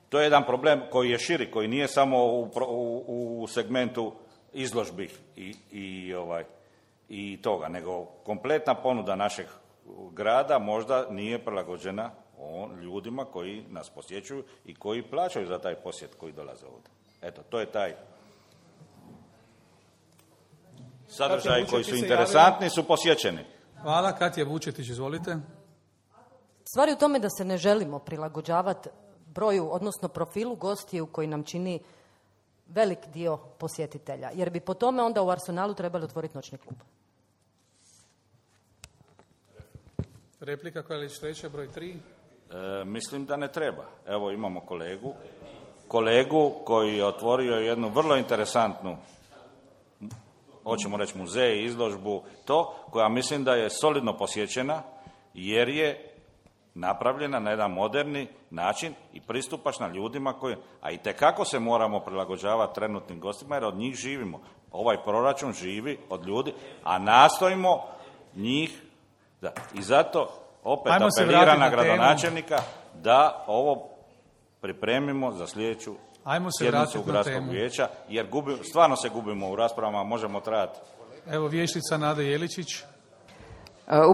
To je jedan problem koji je širi, koji nije samo u, u, u segmentu izložbi i, i ovaj, i toga, nego kompletna ponuda našeg grada možda nije prilagođena on, ljudima koji nas posjećuju i koji plaćaju za taj posjet koji dolaze ovdje. Eto, to je taj sadržaj koji su interesantni, su posjećeni. Hvala. Katja Vučetić, izvolite. Stvar je u tome da se ne želimo prilagođavati broju, odnosno profilu gostiju koji nam čini velik dio posjetitelja. Jer bi po tome onda u Arsenalu trebali otvoriti noćni klub. Replika koja je treća, broj tri. E, mislim da ne treba. Evo imamo kolegu, kolegu koji je otvorio jednu vrlo interesantnu, hoćemo reći muzej, izložbu, to, koja mislim da je solidno posjećena, jer je napravljena na jedan moderni način i pristupačna ljudima koji, a i tekako se moramo prilagođavati trenutnim gostima jer od njih živimo. Ovaj proračun živi od ljudi, a nastojimo njih, da. I zato opet Ajmo apeliram na gradonačelnika da ovo pripremimo za sljedeću sjednicu gradskog vijeća, jer gubi, stvarno se gubimo u raspravama, možemo trajati. Evo vijećnica Nada Jeličić.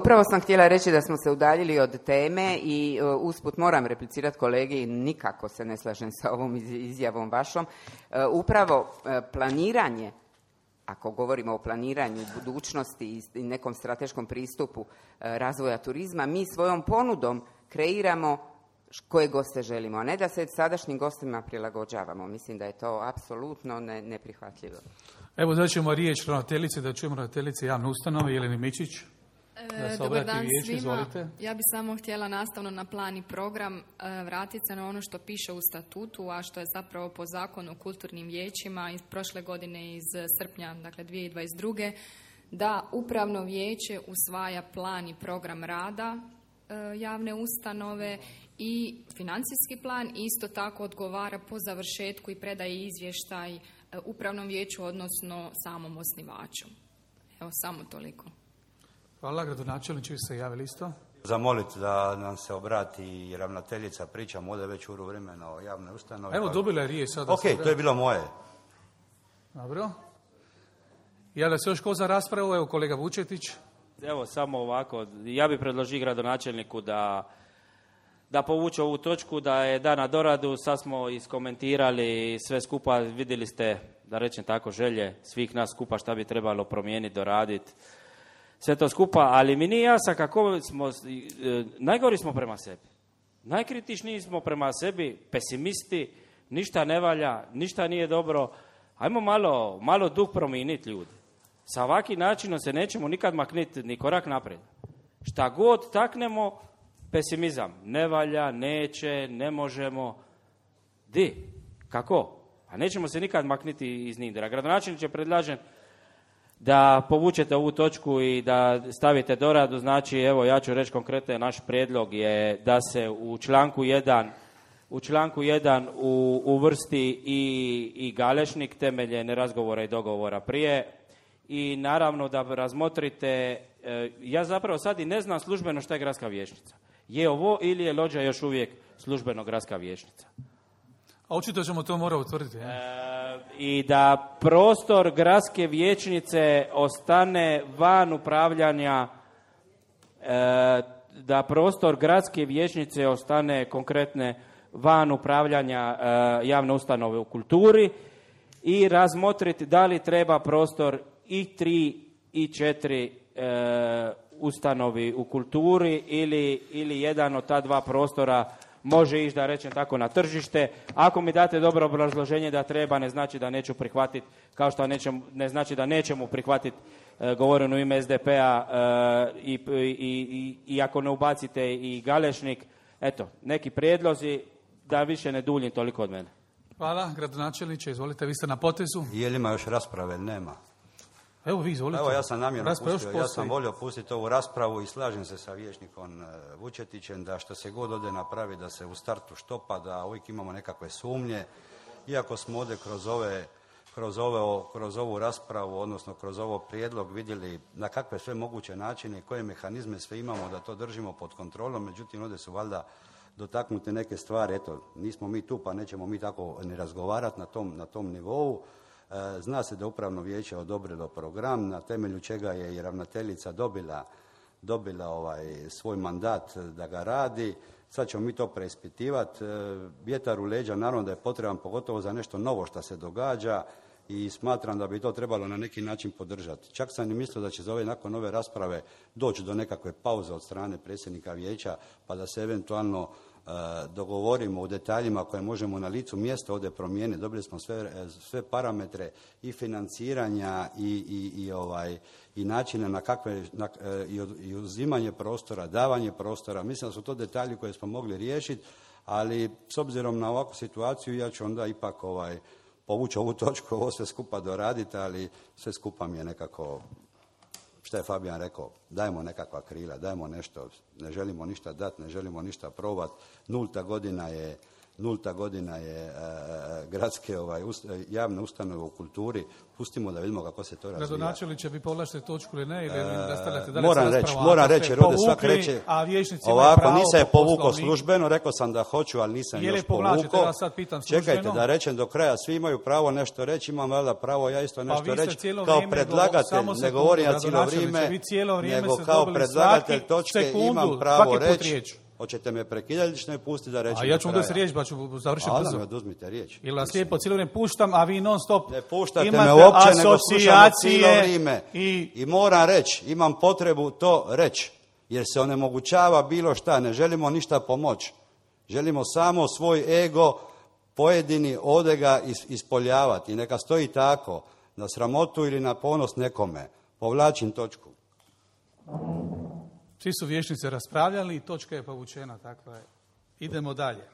Upravo sam htjela reći da smo se udaljili od teme i usput moram replicirati kolegi, nikako se ne slažem sa ovom izjavom vašom. Upravo planiranje, ako govorimo o planiranju budućnosti i nekom strateškom pristupu razvoja turizma, mi svojom ponudom kreiramo koje goste želimo, a ne da se sadašnjim gostima prilagođavamo. Mislim da je to apsolutno ne, neprihvatljivo. Evo da ćemo riječ ravnateljice, da čujemo ravnateljice javne ustanove, Jeleni Mičić. E, dobar dan vijeću, svima. Izvolite. Ja bi samo htjela nastavno na plan i program e, vratiti se na ono što piše u statutu, a što je zapravo po zakonu o kulturnim vijećima iz prošle godine iz srpnja, dakle dvije tisuće dvadeset druge. da upravno vijeće usvaja plan i program rada e, javne ustanove i financijski plan, isto tako odgovara po završetku i predaje izvještaj e, upravnom vijeću, odnosno samom osnivaču. Evo, samo toliko. Hvala, gradonačelniče, vi ste javili isto. Zamoliti da nam se obrati ravnateljica, pričamo ovdje već uru vremena o javnoj ustanovi. Evo, dobila je riječ sada. Ok, to je bilo moje. Dobro. Javlja se još ko za raspravu? Evo, kolega Vučetić. Evo, samo ovako. Ja bih predložio gradonačelniku da, da povuče ovu točku, da je da na doradu. Sad smo iskomentirali sve skupa. Vidjeli ste, da rečem tako, želje svih nas skupa šta bi trebalo promijeniti, doraditi. Sve to skupa, ali mi nije jasno kako smo, e, najgori smo prema sebi. Najkritičniji smo prema sebi, pesimisti, ništa ne valja, ništa nije dobro. Ajmo malo, malo duh promijeniti ljudi. Sa ovakvim načinom se nećemo nikad makniti ni korak naprijed. Šta god taknemo, pesimizam. Ne valja, neće, ne možemo. Di? Kako? A nećemo se nikad makniti iz Nindera. Gradonačelniče, predlažem da povučete ovu točku i da stavite doradu. Znači, evo, ja ću reći konkretno, naš prijedlog je da se u članku jedan u članku jedan u, uvrsti i, i Galešnik temeljem razgovora i dogovora prije i naravno da razmotrite, e, ja zapravo sad i ne znam službeno šta je gradska vijećnica. Je ovo ili je Lođa još uvijek službeno gradska vijećnica? A očito ćemo to morati utvrditi. E, I da prostor gradske vijećnice ostane van upravljanja, e, da prostor gradske vijećnice ostane konkretne van upravljanja e, javne ustanove u kulturi i razmotriti da li treba prostor i tri i četiri e, ustanovi u kulturi ili, ili jedan od ta dva prostora može ići, da rečem tako, na tržište. Ako mi date dobro obrazloženje da treba, ne znači da neću prihvatiti, kao što nećem, ne znači da nećemo prihvatiti e, govoreno u ime es de pe-a e, i, i, i, i ako ne ubacite i Galešnik, eto, neki prijedlozi, da više ne duljim toliko od mene. Hvala, gradonačelniče, izvolite, vi ste na potezu. Je li ima još rasprave? Nema. Evo vi, izvolite. Evo, ja sam namjerno pustio, ja sam volio pustiti ovu raspravu i slažem se sa vijećnikom Vučetićem da što se god ovdje napravi, da se u startu štopa, da uvijek imamo nekakve sumnje. Iako smo ovdje kroz ove, kroz ove, kroz ovu raspravu, odnosno kroz ovo prijedlog vidjeli na kakve sve moguće načine i koje mehanizme sve imamo da to držimo pod kontrolom, međutim ovdje su valjda dotaknute neke stvari, eto, nismo mi tu pa nećemo mi tako ni razgovarati na tom, na tom nivou. E, zna se da upravno vijeće odobrilo program na temelju čega je i ravnateljica dobila, dobila ovaj, svoj mandat da ga radi. Sad ćemo mi to preispitivati. E, vjetar u leđa naravno da je potreban, pogotovo za nešto novo što se događa i smatram da bi to trebalo na neki način podržati. Čak sam i mislio da će za ove nakon ove rasprave doći do nekakve pauze od strane predsjednika vijeća, pa da se eventualno uh, dogovorimo u detaljima koje možemo na licu mjesta ovdje promijeniti. Dobili smo sve, sve parametre i financiranja i, i, i, ovaj, i načine na kakve, na, i, i uzimanje prostora, davanje prostora. Mislim da su to detalji koje smo mogli riješiti, ali s obzirom na ovakvu situaciju ja ću onda ipak ovaj, povući ovu točku, ovo sve skupa doraditi, ali sve skupa mi je nekako, što je Fabijan rekao, dajmo nekakva krila, dajmo nešto, ne želimo ništa dati, ne želimo ništa probati. Nulta godina je, nulta godina je e, gradske ovaj, ust, javne ustanove u kulturi. Pustimo da vidimo kako se to razvija. Gradonačelniče, vi povlačite točku ili ne, ili nastavljate dalje moram reći, moram reći, jer ovdje svak reće, ovako, nisam je povukao službeno, rekao sam da hoću, ali nisam još povukao. Čekajte da rečem do kraja, svi imaju pravo nešto reći, imam valjda pravo ja isto nešto reći, kao predlagatelj, ne govorim ja cijelo vrijeme, nego kao predlagatelj točke imam pravo reći. Hoćete me prekidati ili ćete me pustiti da reći? A ja ću onda se riječ, pa ću završiti brzo. Ali me oduzmite riječ. Ili vas lijepo cijelo vrijeme puštam, a vi non stop ne puštate me uopće, nego slušamo cijelo vrijeme. I... I moram reći, imam potrebu to reći, jer se onemogućava bilo šta, ne želimo ništa pomoći. Želimo samo svoj ego pojedini ode ga ispoljavati. I neka stoji tako, na sramotu ili na ponos nekome. Povlačim točku. Svi su vijećnici raspravljali i točka je povučena, dakle, idemo dalje.